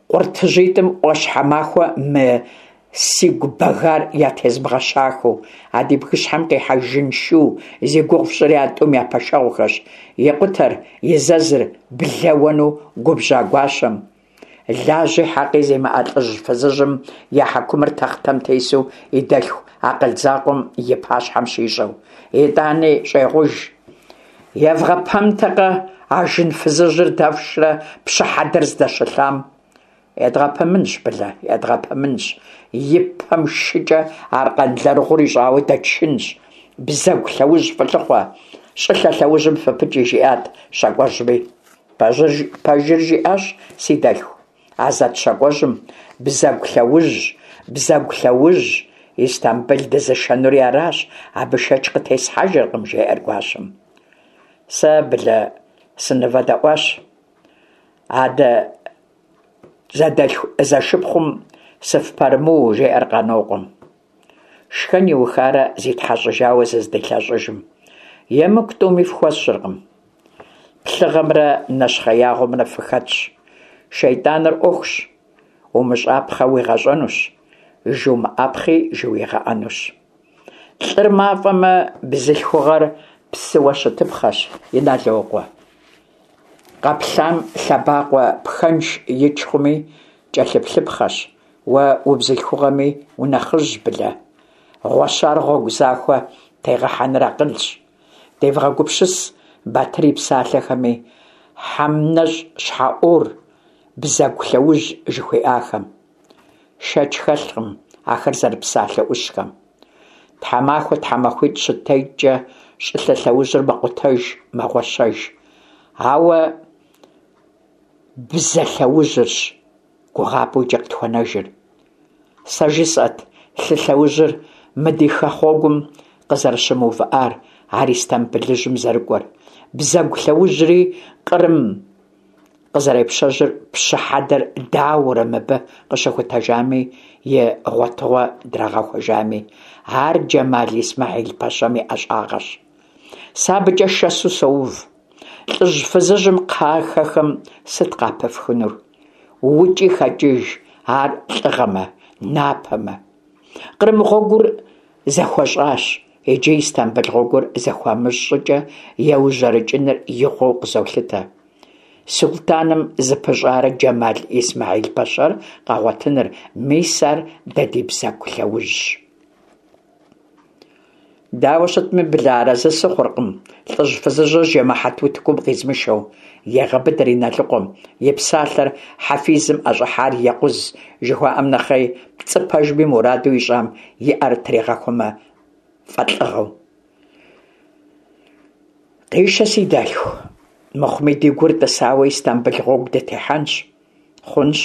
Speaker 1: къуртыжьитӏым ӏуащхьэмахуэ мы сигу бэгар ятезмыгъэщахэу. А ди бгыщхьэм къихьа жын шу зи гугъу фщӏыри а тӏум я пэшэгъухэщ, екъутэр и зэзыр блэ уэну губжьа гуащэм. Лажьи хьэкъи зимыӏэ лӏыжь-фызыжьым я хьэкумыр тэхътэм тесу и дэлъху акъыл закъуэм и пащхьэм щищӏэу. Итӏани щӏегъуж. Евгъэпэмтэкъэ а жын фызыжьыр дэфшрэ пщы хьэдэр здэщылъам? Едгъэпэмынщ, Былэ, едгъэпэмынщ. И пэм шыкӏэ аркъэн лэрыгъур ищӏауэ дэтшынщ. Бзэгу лъэужь фылъыхъуэ, щӏылъэ лъэужьым фыпыкӏи, жиӏат щакӏуэжьми. Пэжыр жиӏащ си дэлъху, а зэт щакӏуэжьым, бзэгу лъэужь, бзэгу лъэужь, Истамбыл дызышэнури аращ, абы шэч къытесхьэжыркъым, жеӏэр гуащэм. Сэ, Былэ, сынывэдэӏуащ. Адэ зэдэлъху зэшыпхъум сыфпэрымыу, жеӏэр Къанокъуэм. Шхэн иухарэ зитхьэщӏыжауэ зыздилъэщӏыжым. Емыкӏу тӏуми фхуэсщӏыркъым. Плъыгъэмрэ нэщхъеягъуэмрэ фыхэтщ. Шейтӏаныр ӏуэхущ, умыщӏапхъэ уигъэщӏэнущ, жумыӏапхъи жыуигъэӏэнущ. Лӏыр мафӏэмэ, бзылъхугъэр псыуэ щытыпхъэщ, Иналокъуэ. Къэплъам лъэбакъуэ пхэнж ич хъуми, кӏэлъыплъыпхъэщ. Уэ убзылъхугъэми унэхъыжьщ, Былэ. Гъуэщар гъуэгу захуэ тегъэхьэныр акъылщ. Девгъэгупсыс Батыр и псалъэхэми, хьэмнэщӏ щхьэӏуор, бзэгу лъэужь жыхуиӏахэм. Шэч хэлъкъым ахэр зэрыпсалъэ ӏущхэм. Тхьэмахуэ тхьэмахуитӏ щытекӏкӏэ щӏылъэ лъэужьыр мэкъутэж, мэгъуэщэж. Ауэ бзэ лъэужьырщ гугъапӏэу иджы къытхуэнэжыр. Сэ жысӏэт лъы лъэужьыр мы ди хэгъуэгум къызэрыщымыувыӏар, ар Истамбылыжьым зэрыкӏуэр. Бзэгу лъэужьри Кърым къызэрепщэжьыр пщы хьэдэр дауэрэ мыбы къыщыхутэжами, и гъуэтыгъуэ драгъэхуэжами. Ар Джэмал Исмэхьил-пэщэм и ӏэщӏагъэщ. Сэ абыкӏэ шэсу соув. Лӏыжь-фызыжьым кхъахэхэм сыт къапыфхынур? Укӏи хэкӏыж ар лӏыгъэмэ, напэмэ. Кърым гъуэгур зэхуэщӏащ, иджы Истамбыл гъуэгур зэхуамыщӏ щӏыкӏэ еужьэрэкӏыныр игъуэу къызолъытэ. Сулътӏаным зыпыщӏарэ Джэмал Исмэхьил-пэщэр къэгъуэтыныр, мис ар дэ ди бзэгу лъэужьщ. Дауэ щытми, Былэ, арэзы сыхъуркъым, лӏыжь-фызыжьыр жэмыхьэт утыкум къизмышэу, егъэбыдэр Иналыкъуэм, и псалъэр хьэфизым ӏэщӏыхьар екъуз жыхуаӏэм нэхъей, пцӏы пэжми мураду ищӏам и ӏэр тригъэхуэмэ фӏэлӏыгъэу. Къишэ, си дэлъху, мыхъуми ди гур тӏысауэ Истамбыл гъуэгу дытехьэнщ. Хъунщ.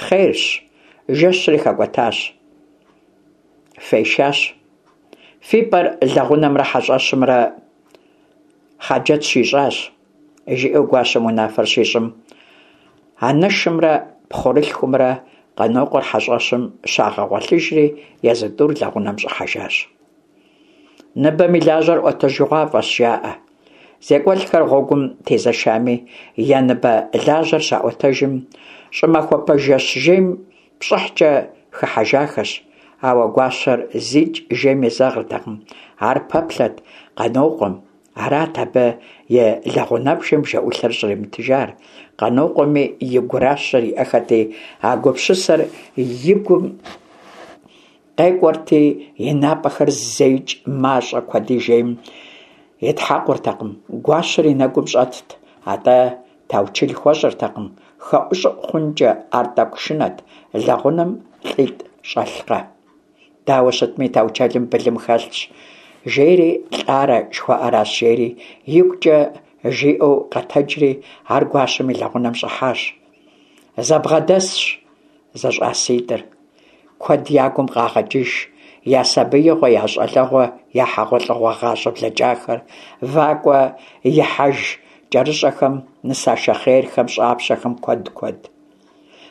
Speaker 1: Хъерщ. Жэщри хэкӏуэтащ. Фешащ. Фи пӏэр лэгъунэмрэ хьэщӏэщымрэ Хъаджэт щищӏащ, жиӏэу гуащэм унафэр щищӏым, анэшымрэ пхъурылъхумрэ Къанокъуэр хьэщӏэщым щагъэгъуэлъыжри, езы тӏур лэгъунэм щӏыхьэжащ. Ныбэм и лажьэр ӏуэтэжыгъуафӏэщ, жаӏэ. Зекӏуэлӏхэр гъуэгум тезэшами, я ныбэ лажьэр щаӏуэтэжым, щӏымахуэпэ жэщ жейм пщӏыхькӏэ хыхьэжахэщ, ауэ гуащэр зикӏ жейм езэгъыртэкъым, ар пэплъэт Къанокъуэм, арат абы и лэгъунэбжэм бжэӏулъэр щӏримытыжар. Къанокъуэми и гуращэр иӏэххэти, а гупсысэр и гум къекӏуэрти, и напӏэхэр зэикӏ мащӏэ куэди жейм итхьэкъуртэкъым, гуащэр и нэгум щӏэтт, атӏэ таучэл хуэщӏыртэкъым, хэӏущӏыӏу хъункӏэ ар тӏэкӏу шынэт, лэгъунэм лӏитӏ щӏэлъкъэ. Дауэ щытми, таучэлым былым хэлъщ, жери лӏарэ жыхуаӏэращ, жери игукӏэ жиӏэу къэтэджри, ар гуащэм и лэгъунэм щӏыхьащ. Зэбгъэдэсщ зэщӏаситӏыр. Куэд я гум къагъэкӏыж, я сабиигъуэ, я щӏалэгъуэ, я хьэгъуэлӏыгъуэ гъащӏэ блэкӏахэр, вакӏуэ ихьэж кӏэрыщӏэхэм, нысашэ хъерхэм, щӏапщэхэм куэд куэд.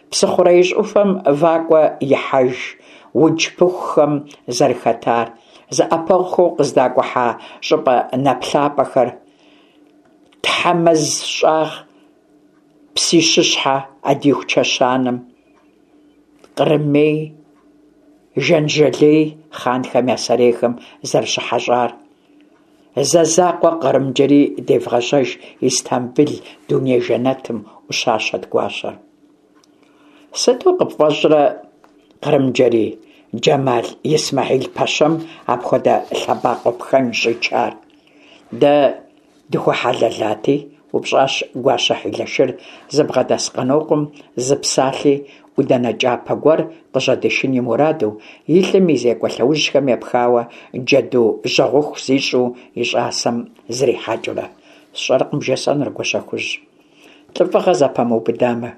Speaker 1: Псыхъуреижь ӏуфэм вакӏуэ ихьэж уджпыхухэм зэрыхэтар, зэӏэпэгъухэу къыздакӏухьа щӏыпӏэ нэплъапӏэхэр, Тхьэмэз щӏагъ Псищыщхьэ Ӏэдииху чэщанэм, Кърымей, Жанджэлей хъанхэм я сэрейхэм зэрыщыхьэщӏар. Зэ закъуэ Кърымджэрий девгъэжьэж Истамбыл дуней жэнэтым, ӏущащэт гуащэр. Сыту къыпфӏэщӏрэ, Кърымджэрий, Джэмал Исмэхьил-пэщэм апхуэдэ лъэбакъуэ пхэнж щӏичар? Дэ Дыхуэхьэлэлати, упщӏащ гуащэ хьилэшыр зыбгъэдэс Къанокъуэм зы псалъи ӏуданэ кӏапэ гуэр къыжьэдишын и мураду, и лӏым и зекӏуэ лъэужьхэм епхауэ джэду жьэгъуху зищӏу и щӏасэм зрихьэкӏыурэ. Сщӏэркъым бжесӏэнур, Гуащэхужь. Лӏыфӏыгъэ зэпэмыубыдамэ.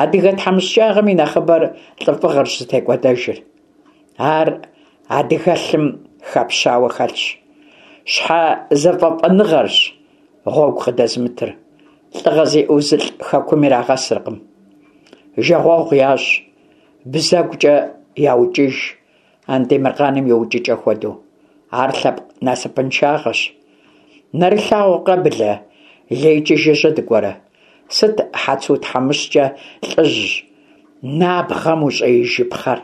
Speaker 1: Адыгэ тхьэмыщкӏагъэм и нэхъыбэр лӏыфӏыгъэрщ зытекӏуэдэжыр. Ар адыгэлъым хэпщауэ хэлъщ. Щхьэ зэфӏэфӏэныгъэрщ гъуэгу къыдэзымытыр. Лӏыгъэ зиӏэу зылӏ хэкум ирагъэсыркъым. Жагъуэгъу ящӏ, бзэгукӏэ яукӏыж, Андемыркъаным и укӏыкӏэ хуэдэу. Ар лъэпкъ насыпыншагъэщ. Нэрылъагъукъэ, Былэ, лейкӏи жыжьэ дыкӏуэрэ? Сыт Хьэцу тхьэмыщкӏэ лӏыжь набгъэм ущӏеижыпхъэр?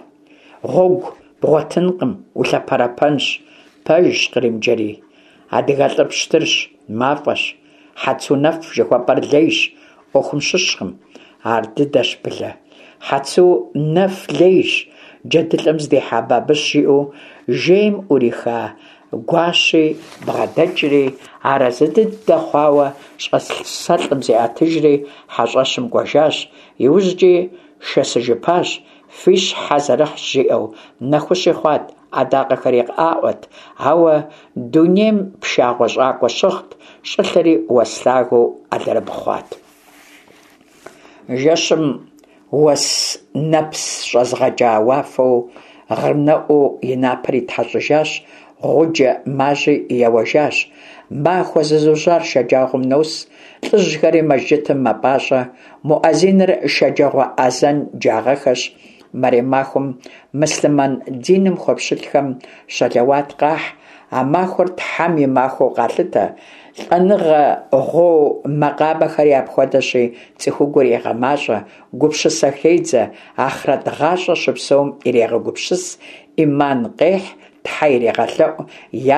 Speaker 1: Гъуэгу бгъуэтынкъым, улъэпэрэпэнщ. Пэжщ, Кърымджэрий. Адыгэлӏыр пщтырщ, мафӏэщ. Хьэцу нэф жыхуэпӏэр лейщ, ӏуэхум щыщкъым. Ар дыдэщ, Былэ. Хьэцу нэф лейщ, джэдылӏэм здихьа бабыщ жиӏэу жейм ӏуриха Гуащи бгъэдэкӏри, арэзы дыдэ хъуауэ щӏасэлӏым зиӏэтыжри хьэщӏэщым кӏуэжащ, иужькӏи шэсыжыпащ, фи щхьэ зэрыхьщ жиӏэу, нэхущи хъуат, адакъэхэри къаӏуэт, ауэ дунейм пшагъуэ щӏакӏуэ щыгът, щӏылъэри уэс лъагэу алэрыбгъу хъуат. Жэщым уэс нэпс щӏэзыгъэкӏа уафэу гъырнэӏуу и напэр итхьэщӏыжащ, гъуджэ мажьи еуэжащ. Махуэ зызужьар шэджагъуэм нос, лӏыжьхэри мэжджытым мэпӏащӏэ, муӏэзиныр шэджагъуэ азэн джагъэхэщ, мэрем махуэм мыслъымэн диным хуэпщылӏхэм щэлэуат къахь, а махуэр Тхьэм и махуэу къалъытэ, лӏэныгъэ гъуо макъамэхэри апхуэдэщи, цӏыхугур егъэмащӏэ, гупсысэ хедзэ, ахърэт гъащӏэ щыпсэум ирегъэгупсыс, ӏиман къехь, Тхьэ ирегъэлъэӏу,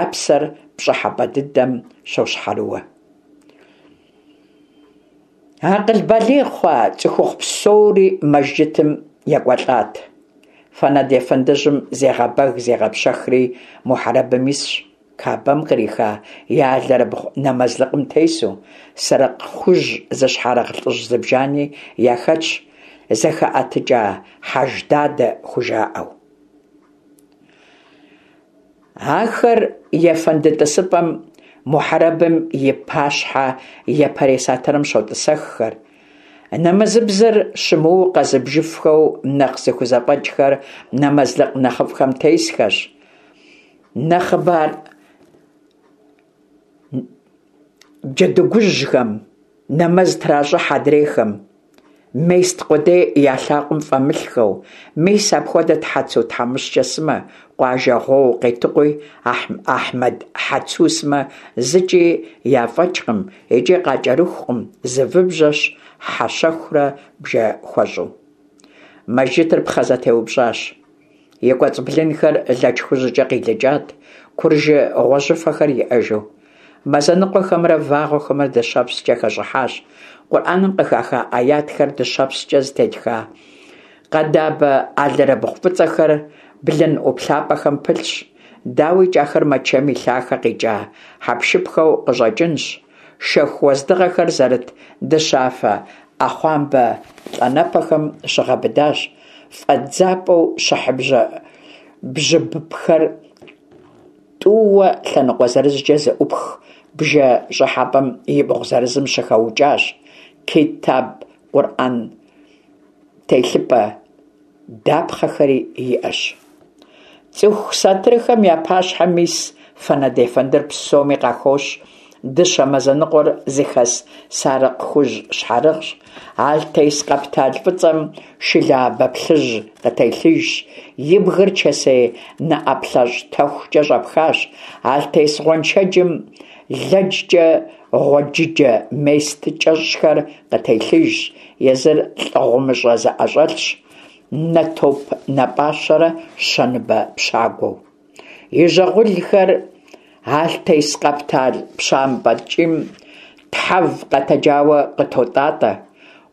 Speaker 1: я псэр пщӏыхьэпӏэ дыдэм щощхьэрыуэ. Акъыл балигъ хъуа цӏыхухъу псори мэжджытым екӏуэлӏат. Фэнэд ефэндыжьым зегъэбэг-зегъэпщэхри мухьэрэбым исщ, Кабэм къриха и алэрыбгъу нэмэзлыкъым тесу, сэрыкъ хужь зыщхьэрыгъ лӏыжь зыбжани яхэтщ, зэхэӏэтыкӏа Хьэждадэ хужаӏэу. Ахэр ефэнды тӏысыпӏэм мухьэрэбым и пащхьэ япэрей сатырым щотӏысэххэр. Нэмэзыбзэр щымыуэу къэзыбжыфхэу нэхъ зыхузэфӏэкӏхэр нэмэзлыкъ нэхъыфӏхэм тесхэщ. Нэхъыбэр джэдыгужьхэм нэмэз тращӏыхь адрейхэм, мест къудей я лъакъуэм фӏэмылъхэу, мис апхуэдэт Хьэцу тхьэмыщкӏэ сымэ, къуажэ гъуоу Къетыкъуи, Ахьмэд Хьэцу сымэ зыкӏи яфӏэкӏкъым икӏи къакӏэрыхукъым, зы выбжьэщ хьэ щэхурэ бжэ хуэщӏу. Мэжджытыр пхъэ зэтеупщӏащ. И кӏуэцӏ блынхэр лэч хужькӏэ къилыкӏат, куржы гъуэжьыфэхэр иӏэжу. Мазэ ныкъуэхэмрэ вагъуэхэмрэ дыщэпскӏэ хэщӏыхьащ. Къурӏэным къыхаха аятхэр дыщэпскӏэ зытетха къэдабэ алэрыбгъу фӏыцӏэхэр блын ӏуплъапӏэхэм пылъщ. Дауикӏ, ахэр Мэчэм и лъахэ къикӏа хьэпшыпхэу къыщӏэкӏынщ. Шэху уэздыгъэхэр зэрыт дыщафэ ӏэхъуамбэ плӏанэпэхэм щыгъэбыдащ, фӏэдзапӏэу щыхьыбжьэ бжьыбхэр тӏууэ лъэныкъуэ зырызкӏэ зэӏупх бжэ щӏыхьэпӏэм ибгъу зырызым щыхэукӏащ, китаб къурӏэн телъыпӏэ дапхъэхэри иӏэщ. Цӏыху сатырхэм я пащхьэм ис Фэнэд ефэндыр псоми къахощ, дыщэ мазэ ныкъуэр зыхэс сарыкъ хужь щхьэрыгъщ, алътес къэптал фӏыцӏэм шылэабэ плъыжь къытелъыжщ, и бгыр чэсей нэӏэплъэщӏ тэхукӏэ щӏэпхащ, алътес гъуэншэджым лэчкӏэ гъуэджыджэ мест кӏэщӏхэр къытелъыжщ, езыр лӏы гъумыщӏэ зэӏэщӏэлъщ, нэтоп нэпӏащэрэ щэныбэ пщагуэу. И жьэгъулхэр алътес къэптал пщампӏэ ткӏийм тхьэв къэтэджауэ къытотӏатӏэ.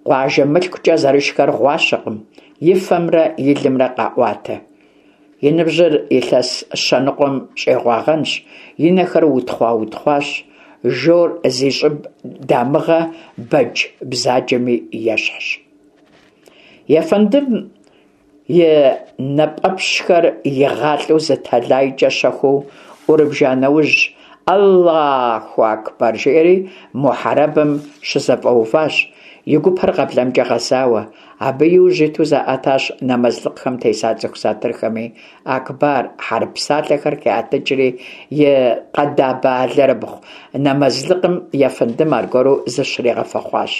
Speaker 1: Къуажэ мылъкукӏэ зэрышхэр гъуащэкъым, и фэмрэ и лымрэ къаӏуатэ. И ныбжьыр илъэс щэ ныкъуэм щӏегъуагъэнщ, и нэхэр утхъуа-утхъуащ, жор зи щӏыб дамыгъэ бэдж бзаджэми ещхьщ. Ефэндым и нэпӏэпщхэр игъалӏэу зы тэлайкӏэ щэхуу ӏурыбжа нэужь, Аллаху акбэр жиӏэри мухьэрэбым щызэфӏэуващ, и гупэр къэблэмкӏэ гъэзауэ. Абы иужь иту заӏэтащ нэмэзлыкъхэм теса цӏыху сатырхэми. Акбар хьэрып псалъэхэр хиӏэтыкӏри, и къэдабэ алэрыбгъу нэмэзлыкъым ефэндым аргуэру зыщригъэфэхъуащ.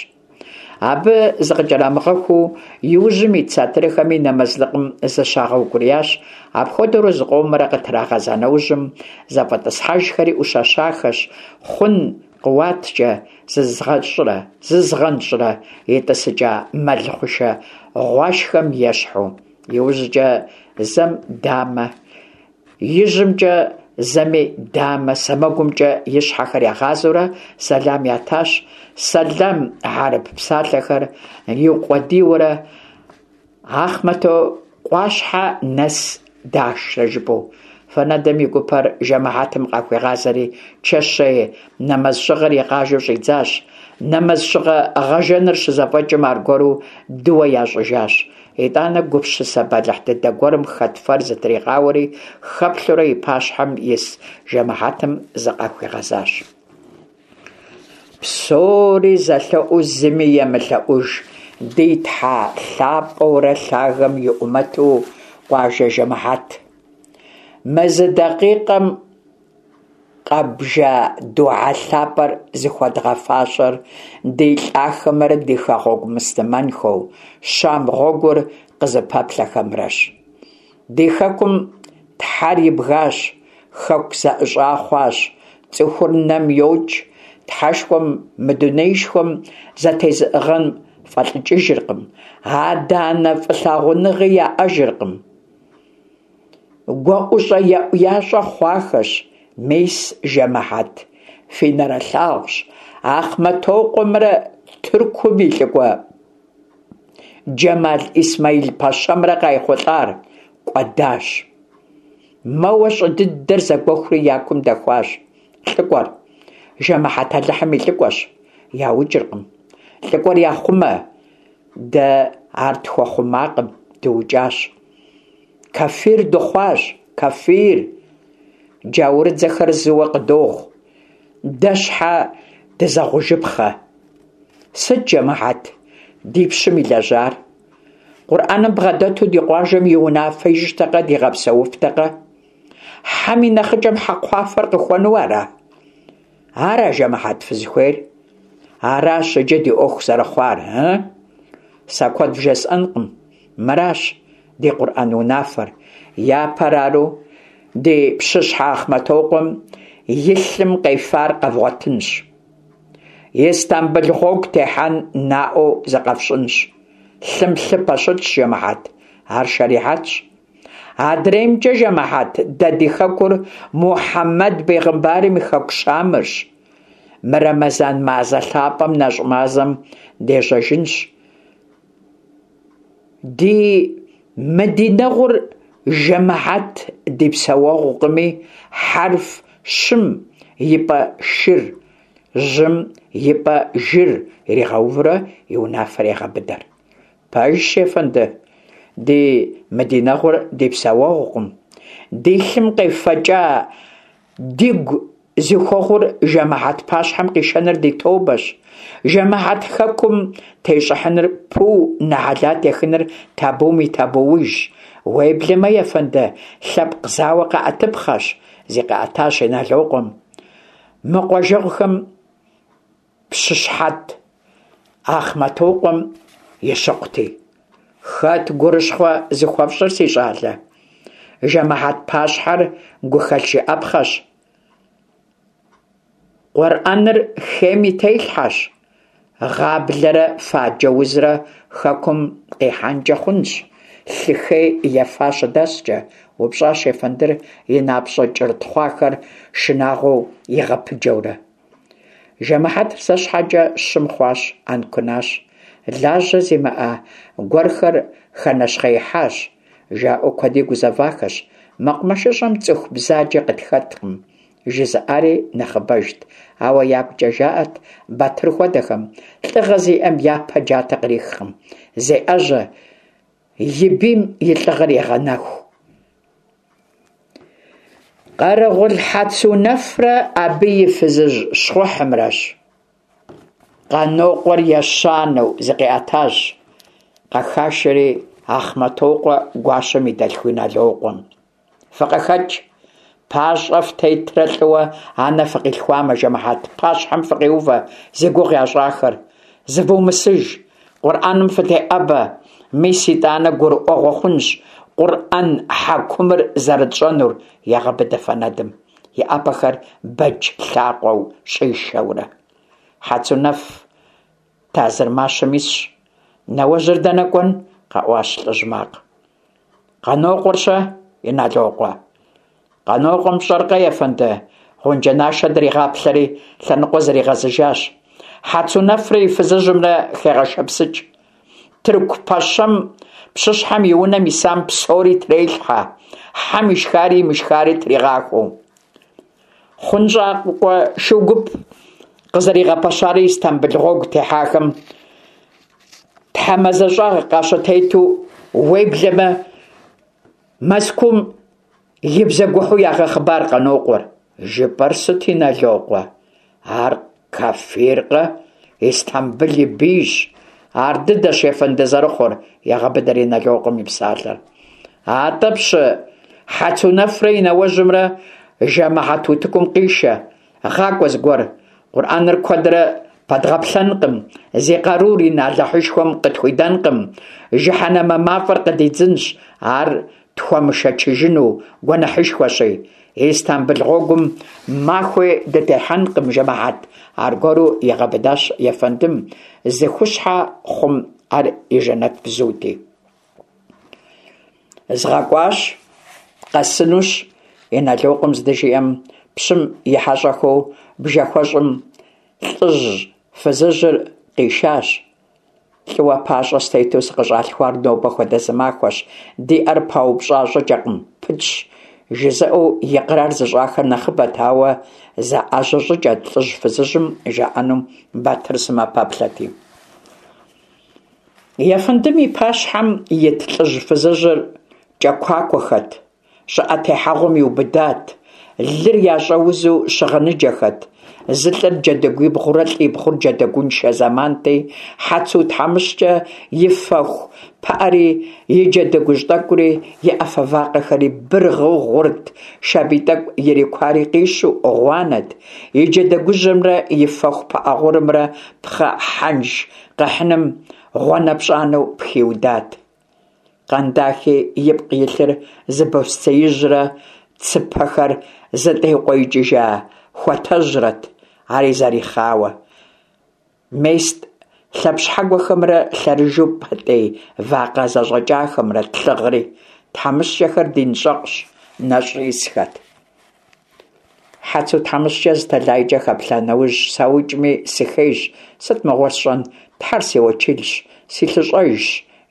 Speaker 1: Абы зыкъыкӏэрамыгъэхуу, иужьым ит сатырхэми нэмэзлыкъым зыщагъэукӏуриящ. Апхуэдэурэ зыкъомрэ къытрагъэза нэужьым, зэфӏэтӏысхьэжхэри ӏущэщахэщ, хъун. къыуаткӏэ зызгъэнщӏрэ итӏысыкӏа мэл хъушэ гъуашхэм ещхьу. Иужькӏэ зэм дамэ ижьымкӏэ, зэми дамэ сэмэгумкӏэ и щхьэхэр ягъазэурэ сэлам ятащ, сэлам хьэрып псалъэхэр иукъуэдийуэрэ Ахъмэтыкъуащхьэ нэс дашрэ жыпӏэу. Фэнэдым и гупэр жэмыхьэтым къахуигъазэри, чэщей нэмэзщыгъэр игъажэу щӏидзащ. Нэмэзщыгъэ гъэжэныр щызэфӏэкӏым аргуэру дыуэ ящӏыжащ. Итӏанэ гупсысэ бэлыхь дыдэ гуэрым хэт фэр зытригъауэри, хэплъэурэ и пащхьэм ис жэмыхьэтым зыкъахуигъэзащ. Псори зэлъэӏуу зыми емылъэӏуж ди Тхьэ лъапӏэурэ лъагэм и ӏумэту къуажэ жэмыхьэт. Мы зы дакъикъэм къэбжа дугьэ лъапӏэр зыхуэдгъэфащэр ди лӏахэмрэ ди хэгъуэгу муслъымэнхэу Щам гъуэгур къызыпэплъэхэмрэщ. Ди хэкум Тхьэр ибгащ, хэку зэӏыщӏа хъуащ, цӏыхур нэм йокӏ, Тхьэшхуэм мы дунеишхуэм зэтезыӏыгъэн фӏэлӏыкӏыжыркъым, адэ-анэ фӏылъагъуныгъи яӏэжыркъым. Гуэӏущӏэ еӏу-ящӏэ хъуахэщ, мис жэмыхьэт, фи нэрылъагъущ, Ахъмэтокъуэмрэ Тыркум и лӏыкӏуэ Джэмал Исмаил пэщэмрэ къайхъулӏар кӏуэдащ. Мэуэ щӏы дыдэр зэгуэхури я кум дэхуащ лӏыкӏуэр. Жэмыхьэт Алыхьым и лӏыкӏуэщ, яукӏыркъым. Лӏыкӏуэр яхъумэ, дэ ар тхуэхъумакъым, дыукӏащ. Кафир дыхъуащ, кафир! Джаурыдзэхэр зыуэ къыдогъу. Дэ щхьэ дызэгъужыпхъэ? Сыт, жэмыхьэт, ди пщым илэжьар? Къурӏэным бгъэдэту ди къуажэм и унафэ ищӏтэкъэ, дигъэпсэуфтэкъэ? Хьэм и нэхъыкӏэм хьэкхъуафэр къыхуэну ара? Ара, жэмыхьэт, фызыхуейр? Аращ иджы ди ӏуэху зэрыхъуар, ы? Сэ куэд вжесӏэнкъым. Мыращ ди Къурӏэн унафэр. Япэр ару ди пщыщхьэ Ахъмэтокъуэм и лъым къефар къэвгъуэтынщ. Истамбыл гъуэгу техьэн наӏуэу зыкъэфщӏынщ. Лъым лъы пэщытщ, жэмыхьэт, ар шэрихьэтщ. Адреймкӏэ, жэмыхьэт, дэ ди хэкур Мухьэмэд бегъымбарым и хэку Щамырщ. Мы Рэмэзан мазэ лъапӏэм нэщӏ мазэм дежьэжынщ. Ди мыдинэгъур жэмыхьэт ди псэуэгъукъыми, хьэрф щым и пӏэ шыр, жьым и пӏэ жыр иригъэувурэ и унафэр егъэбыдэр. Пэжщ, ефэнды, ди мыдинэгъур ди псэуэгъукъым. Ди лъым къефэкӏа дигу зыхуэгъур жэмыхьэт пащхьэм къишэныр ди тобэщ. Жэмыхьэт хэкум тещӏыхьыныр пу, нэхьэлат ехыныр табум и табуужщ. Уеблэмэ, ефэнды, лъэпкъ зауэ къэӏэтыпхъэщ, зикъыӏэтащ Иналокъуэм. Мы къуажэгъухэм пщыщхьэт Ахъмэтокъуэм и щыкъути. Хэт гурыщхъуэ зыхуэфщӏыр, си щӏалэ? Жэмыхьэт пащхьэр гухэлъ жыӏэпхъэщ. Къурӏэныр хейм и телъхьэщ. Гъаблэрэ фаджэ узрэ хэкум къихьэнкӏэ хъунщ, лъы хей ефа щыдэскӏэ, упщӏащ ефэндыр и напщӏэ кӏыр тхъуахэр шынагъуэу игъэпыджэурэ. Жэмыхьэтыр зэ щхьэкӏэ щым хъуащ, ӏэнкунащ. Лажьэ зимыӏэ гуэрхэр хэнэщхъеихьащ, жаӏэу куэди гузэвахэщ. Мэкъумэшыщӏэм цӏыху бзаджэ къытхэткъым, жызыӏари нэхъыбэжт. Ауэ ягукӏэ жаӏэрт Батыр хуэдэхэм, лӏыгъэ зиӏэм япэ джатэ кърихкъым, зеӏэжьэ, и бийм и лӏыгъэр егъэнэху. Къэрэгъул Хьэцунэфрэ абы и фызыжь щхъухьымрэщ. Къанокъуэр ещанэу зыкъиӏэтащ, къэхашэри Ахъмэтокъуэ гуащэм и дэлъху Иналокъуэм. Фыкъыхэкӏ, пащӏэ фтетрэ лӏыуэ анэ фыкъилъхуамэ, жэмыхьэт пащхьэм фыкъиувэ зи гугъу ящӏахэр. Зывумысыж, Къурӏэным фытеӏэбэ, мис итӏанэ гурыӏуэгъуэ хъунщ Къурӏэн хьэкумыр зэрытщӏэнур, егъэбыдэ Фэнэдым. и ӏэпэхэр бэдж лъакъуэу щӏишэурэ. Хьэцунэф тазыр мащэм исщ. Нэуэжьыр дэнэ кӏуэн? къэӏуащ лӏыжь макъ. Къанокъуэр-щэ, Иналокъуэ? Къанокъуэм пщӏэркъэ, ефэнды? Гъунджэнашэ дригъаплъэри, лъэныкъуэ зригъэзыжащ. Хьэцунэфрэ и фызыжьымрэ хегъэшэпсыкӏ. Тырку пэщэм пщыщхьэм и унэм исам псори трелъхьэ, хьэм ишхари имышхари тригъахуэу. Хъунщӏакӏуэ шу гуп къызэригъэпэщари Истамбыл гъуэгу техьахэм тхьэмазэщӏагъ къащытету, уеблэмэ Мэзкуум и бзэгухьу ягъэхъыбар Къанокъуэр. Жыпӏэр сыт, Иналокъуэ? Ар кафиркъэ? Истамбыл и бийщ. Ар дыдэщ ефэнды зэрыхъур, егъэбыдэр Иналокъуэм и псалъэр. Атӏэ пщы Хьэцунэфрэ и нэуэжьымрэ жэмыхьэт утыкум къишэ, гъакӏуэ зыгуэр. Къурӏэныр куэдрэ пэдгъэплъэнкъым, зи къарур ин Алыхьышхуэм къытхуидэнкъым, жыхьэнэмэ мафӏэр къыдидзынщ, ар тхуэмышэчыжыну гуэныхьышхуэщи. Истамбыл гъуэгум махуи дытехьэнкъым, жэмыхьэт, аргуэру игъэбыдащ ефэндым, зыхущхьэ хъум ар и жэнэт бзути. Згъэкӏуащ, къэсынущ, Иналокъуэм здыжиӏэм, пщым и хьэщӏэхэу бжэхуэщӏым лӏыжь фызыжьыр къишащ. Лӏыуэ пащӏэ стету сыкъыщӏалъхуар нобэ хуэдэ зы махуэщ, ди ӏэр паупщӏа щӏыкӏэкъым, пытщ, жызыӏэу икърар зыщӏахэр нэхъыбэт, ауэ заӏэжьэ щӏыкӏэт лӏыжь-фызыжьым жаӏэнум Батыр сымэ пэплъэти. Ефэндым и пащхьэм ит лӏыжь-фызыжьыр кӏэкуакуэхэт, щӏыӏэ техьэгъуэм иубыдат, лыр ящӏэузу щыгъыныджэхэт. Зы лӏыр джэдыгуибгъурэ лӏибгъур джэдыгуншэ зэманти, Хьэцу тхьэмыщкӏэ и фэху пыӏэри, и джэдыгужь тӏэкӏури, и ӏэфэ вакъэхэри быргъыу гъурт, шабий тӏэкӏу ирикуари къищу гъуанэт, и джэдыгужьымрэ и фэху пыӏэ гъурымрэ пхъэ хьэнж къэхьыным гъуанэпщӏанэу пхиудат. Къандахи ипкъ илъыр зы босцеижьрэ цыпэхэр зытеукъуеикӏыжа хуатэжьрэт, ари зэрихъауэ. Мест лъэпщхьэгуэхэмрэ лъэрыжэу пэтӏей вакъэ зэщӏэкӏахэмрэт лъыгъри, тхьэмыщкӏэхэр динщӏэкъущ, нэщӏ исхэт. Хьэцу тхьэмыщкӏэ зы тэлайкӏэ хэплъа нэужь, саукӏми сыхейщ, сыт мыгъуэр сщӏэн, Тхьэр си уэчылщ, си лъыщӏэжщ,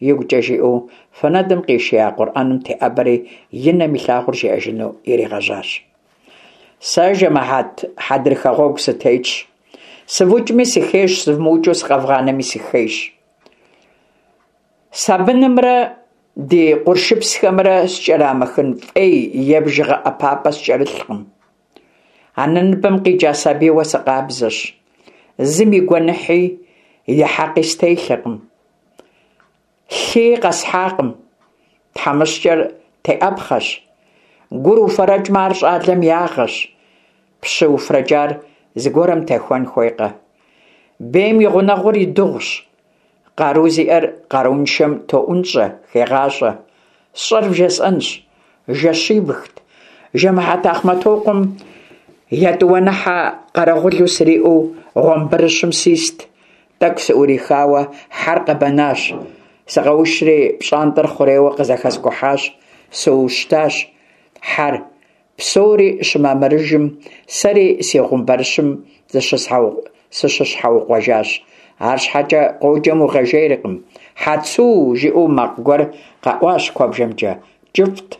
Speaker 1: игукӏэ жиӏэу, фэнэдым къишия Къурӏэным теӏэбэри, и нэм илъагъур жиӏэжыну иригъэжьащ. Сэ, жэмыхьэт, хьэдрыхэ гъуэгу сытетщ. Сывукӏми сыхейщ, сывмыукӏыу сыкъэвгъанэми сыхейщ. Сабынымрэ ди къуршыпсхэмрэ скӏэрамыхын фӏей е бжыгъэ ӏэпапӏэ скӏэрылъкъым. Анэ ныбэм къикӏа сабийуэ сыкъабзэщ. Зым и гуэныхьи, и хьэкъи стелъэкъым. Лъыи къэсхьакъым. Тхьэмыщкӏэр теӏэпхъэщ. Гур уфэрэкӏмэ, ар щӏалэм ягъэщ. Пщы уфрэкӏар зыгуэрым техуэн хуейкъэ? Бейм и гъунэгъур и дыгъущ. Къару зиӏэр къарууншэм тоӏунщӏэ, хегъащӏэ. Сщӏэр вжесӏэнщ. Жэщибгт. Жэмыхьэт Ахъмэтокъуэм етӏуаныхьэ къэрэгъулу сриӏэу гъуэмбырыщым сист. Тӏэкӏу сыӏурихауэ хьэр къэбэнащ. Сыкъэушри пщӏантӏэр хъурейуэ къызэхэскӏухьащ, сыущтащ. Хьэр псори щымамырыжым, сэри си гъумбэрыщым сыщыщхьэукъуэжащ. Арщхьэкӏэ къоджэм укъэжейркъым. Хьэцу! жиӏэу макъ гуэр къэӏуащ куэбжэмкӏэ. Кӏыфӏт.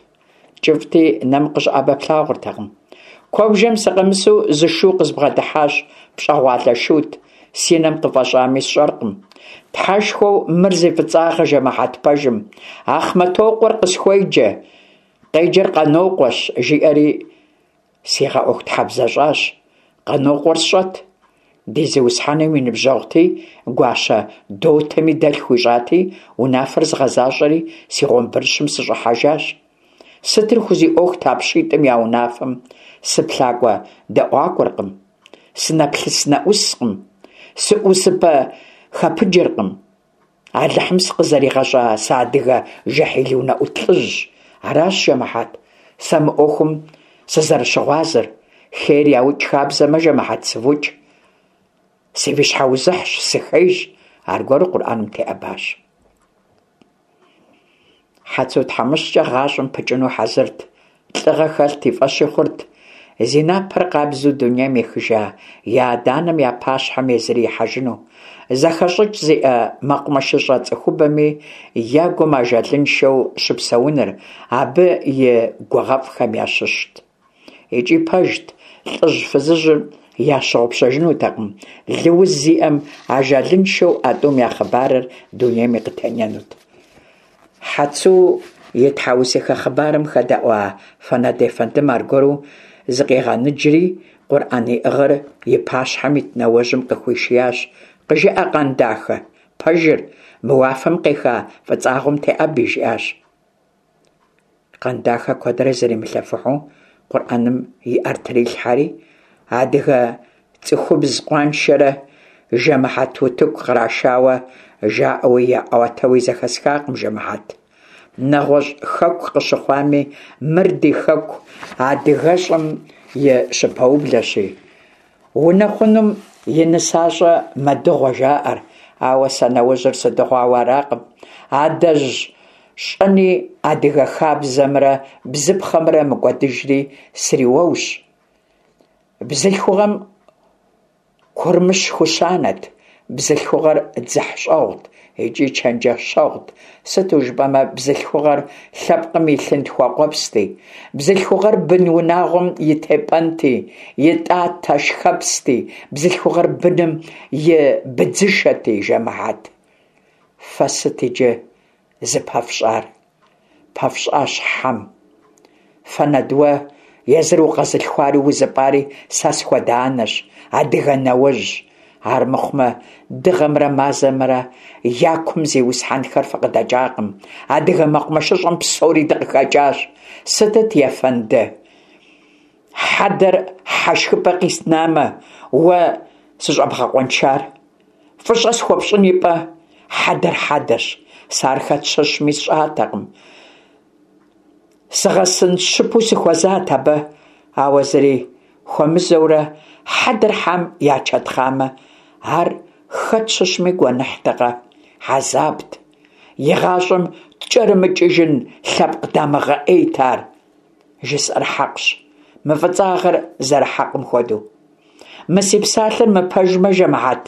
Speaker 1: Кӏыфӏти, нэм къыщӏэӏэбэ плъагъуртэкъым. Куэбжэм сыкъэмысу зы шу къызбгъэдыхьащ, пщӏэгъуалэ шут, си нэм къыфӏэщӏами сщӏэркъым. Тхьэшхуэу мыр зи фӏыцӏагъэ жэмыхьэт пэжым, Ахъмэтокъуэр къысхуеджэ, къеджэр Къанокъуэщ, жиӏэри сигъэӏуэхутхьэбзэщӏащ. Къанокъуэр сщӏэт. Ди зиусхьэным и ныбжьэгъути, гуащэ дотэми дэлъху хуищӏати, унафэр згъэзащӏэри, си гъуэмбырыщым сыщӏыхьэжащ. Сытыр хузиӏуэхут а пщитӏым я унафэм? Сыплъакӏуэ дэӏуакӏуэркъым, сынэплъыс-нэӏускъым, сыӏусыпэ хэпыджэркъым. Алыхьым сыкъызэригъэщӏа сыадыгэ жэхьил унэӏут лӏыжьщ. Аращ, жэмыхьэт, сэ мы ӏуэхум сызэрыщыгъуазэр. Хейр яукӏ хабзэмэ, жэмыхьэт, сывукӏ. Сывищхьэузыхьщ, сыхейщ, аргуэру Къурӏэным теӏэбащ. Хьэцу тхьэмыщкӏэ гъащӏэм пыкӏыну хьэзырт, лӏыгъэ хэлът, и фӏэщи хъурт. Зи напэр къабзэу дунейм ехыжа я адэ-анэм я пащхьэм езыри ихьэжыну. Зэхэщӏыкӏ зиӏэ мэкъумэшыщӏэ цӏыхубэми я гум ажалыншэу щыпсэуныр абы и гугъэфӏхэм ящыщт. Икӏи пэжт, лӏыжь-фызыжьыр ящыгъупщэжынутэкъым, лыуз зиӏэм ажалыншэу а тӏум я хъыбарыр дунейми къытенэнут. Хьэцу и тхьэусыхэ хъыбарым хэдэӏуа Фэнэд ефэндым аргуэру зыкъигъэныджри, Къурӏэн иӏыгъыр и пащхьэм ит нэуэжьым къыхуишиящ: «Къыжыӏэ, Къандахэ, пэжыр, мы уафэм къеха фӏыцӏагъуэм теӏэби», жиӏащ. Къандахэ куэдрэ зримылъэфыхьу Къурӏэным и ӏэр трилъхьэри, адыгэ цӏыхубз къуаншэрэ жэмыхьэт утыку кърашауэ жаӏэуи яӏуатэуи зэхэсхакъым жэмыхьэт. Нэгъуэщӏ хэку къыщыхъуами, мыр ди хэку адыгэщӏым и щыпэублэщи, Унэхъунум и нысащӏэ мэдыгъуэ жаӏэр, ауэ сэ нэужьыр сыдыгъуауэ аракъым. Адэжь щӏэни адыгэ хабзэмрэ бзыпхъэмрэ мыкӏуэдыжри сриуэущ. Бзылъхугъэм курмыщ хущанэт, бзылъхугъэр дзыхьщӏэгъут икӏи чэнджэщэгъут, сыту жыпӏэмэ бзылъхугъэр лъэпкъым и лъынтхуэ къуэпсти, бзылъхугъэр бын унагъуэм и тепӏэнти, и тӏатэ шхэпсти, бзылъхугъэр быным и быдзышэти, жэмыхьэт. Фэ сыт иджы зыпэфщӏар? Пэфщӏащ хьэм. Фэнэд, уэ езыр укъэзылъхуари узыпӏари сэ схуэдэ анэщ, адыгэ нэуэжь. Армыхъумэ, дыгъэмрэ мазэмрэ я кум зиусхьэнхэр фыкъыдэкӏакъым. Адыгэ мэкъумэшыщӏэм псори дыкъыхэкӏащ. Сытыт, ефэнды? Хьэдэр хьэ шхыпӏэ къиснамэ, уэ сыщӏэбгъэкъуэншар? Фӏыщӏэ схуэпщӏын ипӏэ, хьэдэр хьэдэщ, сэ ар хэт щыщми сщӏатэкъым. Сыгъэсынщыпу сыхуэзат абы, ауэ зыри хуэмызэурэ хьэдэр хьэм ячэтхъамэ, ар хэт щыщми гуэныхьтэкъэ, хьэзабт. Игъащӏэм ткӏэрымыкӏыжын лъэпкъ дамыгъэ ӏейт ар. Жысӏэр хьэкъщ, мы фӏыцӏагъэр зэрыхьэкъым хуэдэу. Мы си псалъэр мыпэжмэ, жэмыхьэт,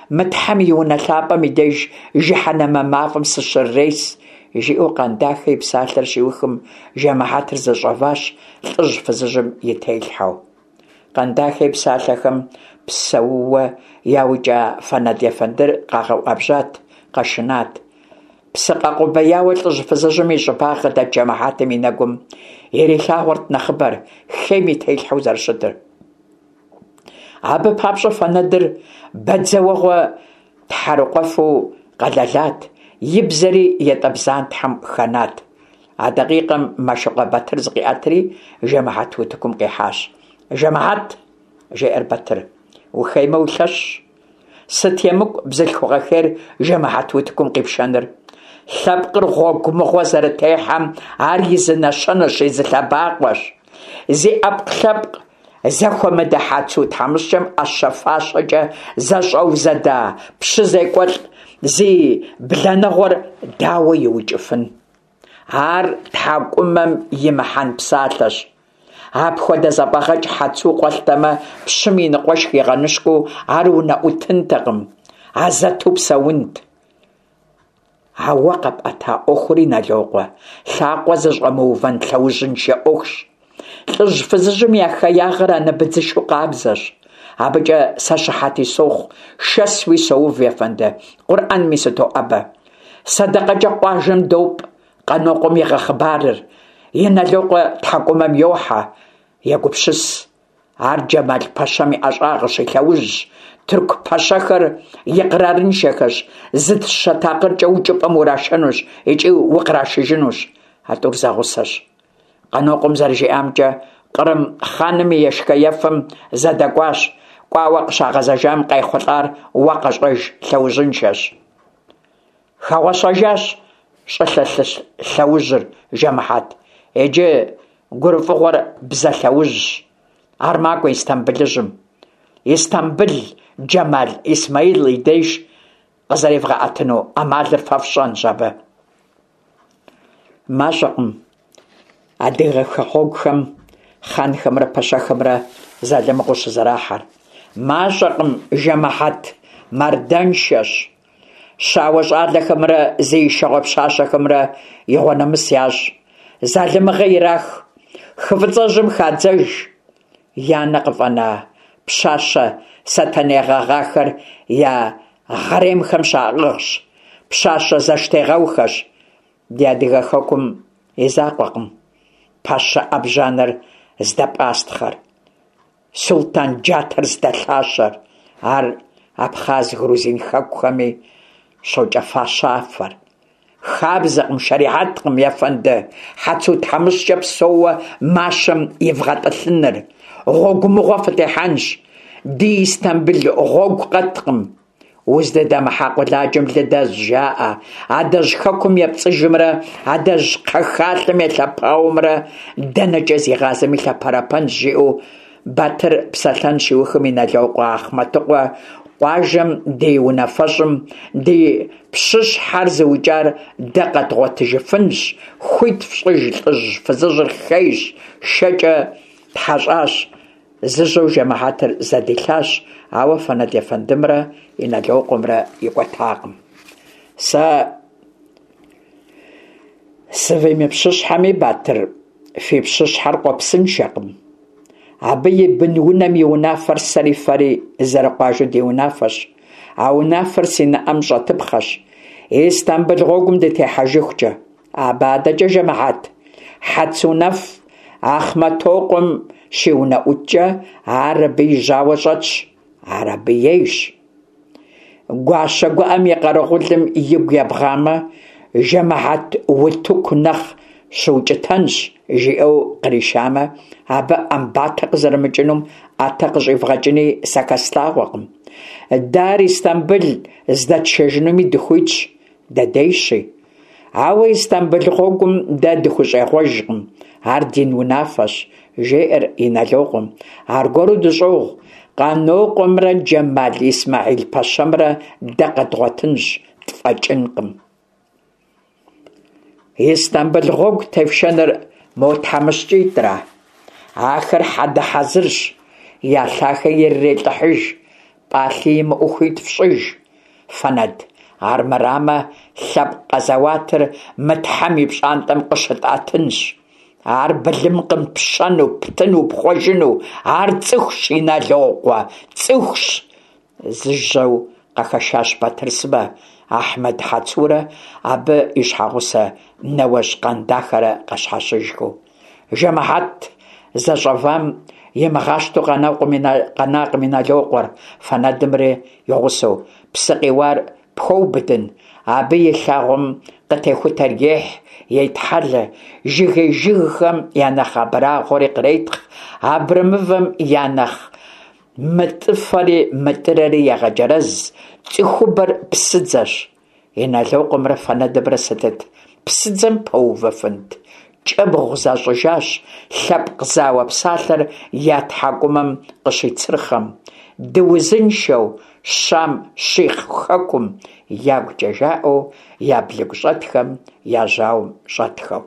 Speaker 1: мы Тхьэм и унэ лъапӏэм и деж жыхьэнэмэ мафӏэм сыщыррес, жиӏэу Къандахэ и псалъэр щиухым, жэмыхьэтыр зэщӏэващ лӏыжь-фызыжьым и телъхьэу. Къандахэ и псалъэхэм псэууэ яукӏа Фэнэд ефэндыр къагъэуӏэбжьат, къэшынат. Псы къэкъубеяуэ лӏыжь-фызыжьым и щӏыбагъ къыдэт жэмыхьэтым и нэгум ирилъагъуэрт нэхъыбэр хейм и телъхьэу зэрыщытыр. Абы папщӏэ Фэнэдыр бадзэуэгъуэ тхьэрыкъуэфу къэлэлат, и бзэри ятӏэ бдзантхьэм хэнат. А дакъикъэм Мэшыкъуэ Батыр зыкъиӏэтри, жэмыхьэт утыкум къихьащ. Жэмыхьэт! жеӏэр Батыр. Ухеймэ, улъэщщ. Сыт емыкӏу бзылъхугъэ хейр жэмыхьэт утыкум къипшэныр? Лъэпкъыр гъуэгу мыгъуэ зэрытехьэм ар и зы нэщэнэщ, и зы лъэбакъуэщ. Зи ӏэпкълъэпкъ зэхуэмыдэ Хьэцу тхьэмыщкӏэм ӏэщэ-фащэкӏэ зэщӏэузэда пщы зекӏуэлӏ зи бланэгъуэр дауэ иукӏыфын? Ар тхьэкӏумэм имыхьэн псалъэщ. Апхуэдэ зэфӏэгъэкӏ Хьэцу къуэлътэмэ, пщым и ныкъуэшх игъэныщкӏуу ар унэӏутынтэкъым, азэту псэунт. А уэ къэпӏэта ӏуэхури, Налокъуэ, лъакъуэ зыщӏэмыувэн лъэужьыншэ ӏуэхущ. Лӏыжь-фызыжьым я хеягъэр анэ быдзышэу къабзэщ. Абыкӏэ сэ щыхьэти сохъу, шэсуи соув, ефэнды, Къурӏэнми сытоӏэбэ. Сэдэкъэкӏэ къуажэм допӏ, Къанокъуэм игъэхъыбарыр, Иналокъуэ тхьэкӏумэм йохьэ, егупсыс. Ар Джэмал пэщэм и ӏэщӏагъэщ, и лъэужьщ. Тырку пэщэхэр икърарыншэхэщ, зы дыщэ такъыркӏэ укӏыпӏэм урашэнущ икӏи укърашыжынущ. А тӏур зэгъусэщ. Къанокъуэм зэрыжиӏамкӏэ, Кърым хъаным и ешхэ-ефэм зэдэкӏуащ. Кӏуауэ къыщагъэзэжам къайхъулӏар уэ къэщӏэж, лъэужьыншэщ. Хэгъуэщэжащ щӏылъэ лъэужьыр, жэмыхьэт. Иджы гурыфӏыгъуэр бзэ лъэужьщ. Ар макӏуэ Истамбылыжьым. Истамбыл Джэмал Исмаил и деж къызэревгъэӏэтыну ӏэмалыр фэ фщӏэнщ абы. Мащӏэкъым адыгэ хэгъуэгухэм хъанхэмрэ пэщэхэмрэ залымыгъэу щызэрахьэр. Мащӏэкъым, жэмыхьэт, мардэншэщ. Щауэ щӏалэхэмрэ зи ишэгъуэ пщащэхэмрэ игъуэнэмыс ящӏ. Залымыгъэ ирах, хы Фӏыцӏэжьым хадзэж. Я нэ къыфӏэна пщащэ сэтэней гъэгъахэр я хъэремхэм щаӏыгъщ, пщащэ зэштегъэухэщ. Ди адыгэ хэкум и закъуэкъым пэщэ ӏэбжьанэр здэпӏастхъэр, султан джатэр здэлъащэр, ар абхъаз, грузин хэкухэми щокӏэфащафэр. Хабзэкъым, шэрихьэткъым, ефэнды, Хьэцу тхьэмыщкӏэ псэууэ мащэм ивгъэтӏылъыныр. Гъуэгу мыгъуэ фытехьэнщ. Ди Истамбыл гъуэгу къэткъым. Уздыдэмыхьа къуэладжэм лы дэзщ, жаӏэ. Адэжь хэкум епцӏыжымрэ адэжь кхъэхалъэм елъэпауэмрэ дэнэкӏэ зигъазэми лъэпэрэпэнщ, жиӏэу Батыр псэлъэн щиухым Иналокъуэ Ахъмэтыкъуэ къуажэм ди унафэщӏым ди пщыщхьэр зыукӏар дэ къэдгъуэтыжыфынщ, хуит фщӏыж, лӏыжь-фызыжьыр хейщ, шэкӏэ тхьэщӏащ, зыжьэу жэмыхьэтыр зэдилъащ, ауэ Фэнэд ефэндымрэ Иналокъуэмрэ икӏуэтакъым. Сэ сывимыпщыщхьэми, Батыр, фи пщыщхьэр къуэпсыншэкъым. Абы и бын-унэм и унафэр сэри фэри зэрыкъуажэу ди унафэщ. А унафэр си нэӏэм щӏэтыпхъэщ, Истамбыл гъуэгум дытехьэжыхукӏэ. Абы адэкӏэ жэмыхьэт, Хьэцунэф Ахъмэтокъуэм щиунэӏуткӏэ, ар абы и жьауэ щӏэтщ, ар абы ейщ. Гуащэ гуӏэм и къэрэгъулым игу ебгъамэ, жэмыхьэт утыку нэхъ щыукӏытэнщ, жиӏэу къришамэ, абы ӏэмбатэ къызэрымыкӏынум ӏэтэ къыщӏивгъэкӏыни сэ хэслъагъуэкъым. Дэ ар Истамбыл здэтшэжынуми дыхуитщ, дэдейщи. Ауэ Истамбыл гъуэгум дэ дыхущӏегъуэжкъым, ар дин унафэщ, жеӏэр Иналокъуэм. Аргуэру дыщӏогъу, Къанокъуэмрэ Джэмал Исмэхьил пэщэмрэ дэ къэдгъуэтынщ, тфӏэкӏынкъым. Истамбыл гъуэгу тефшэныр мо тхьэмыщкӏитӏра? Ахэр хьэдэ хьэзырщ, я лъахэ ирырелӏыхьыж, пӏалъи имыӏэу хуит фщӏыж, Фэнэд. Армырамэ, лъэпкъ къэзэуатыр мы Тхьэм и пщӏантӏэм къыщытӏэтынщ. Ар былымкъым пщэну, птыну, пхъуэжыну, ар цӏыхущ, Иналокъуэ, цӏыхущ! Зыжьэу къахэшащ Батыр сымэ, Ахьмэд Хьэцурэ абы и щхьэгъусэ Нэуэжь Къандахэрэ къащхьэщыжхэу. Жэмыхьэт зэщӏэвам имыгъащтэу къэнакъым Иналокъуэр, Фэнэдымрэ и гъусэу. Псы къиуар пхуэубыдын, абы и лъагъуэм къытехутэр ехь, етхьэлэ, жыгей жыгхэм я нэхъ абрагъуэри къретхъ, абрэмывэм я нэхъ мытӏыфэри мытӏырэри егъэджэрэз, цӏыхубэр псыдзэщ. Иналокъуэмрэ Фэнэдымрэ сытыт псыдзэм пэувыфынт? Кӏэбгъу защӏыжащ, лъэпкъ зауэ псалъэр я тхьэкӏумэм къыщицырхъэм. Дыузыншэу Щам щихъ хэкум ягукӏэ жаӏэу я блыгущӏэтхэм я жьауэм щӏэтхэу.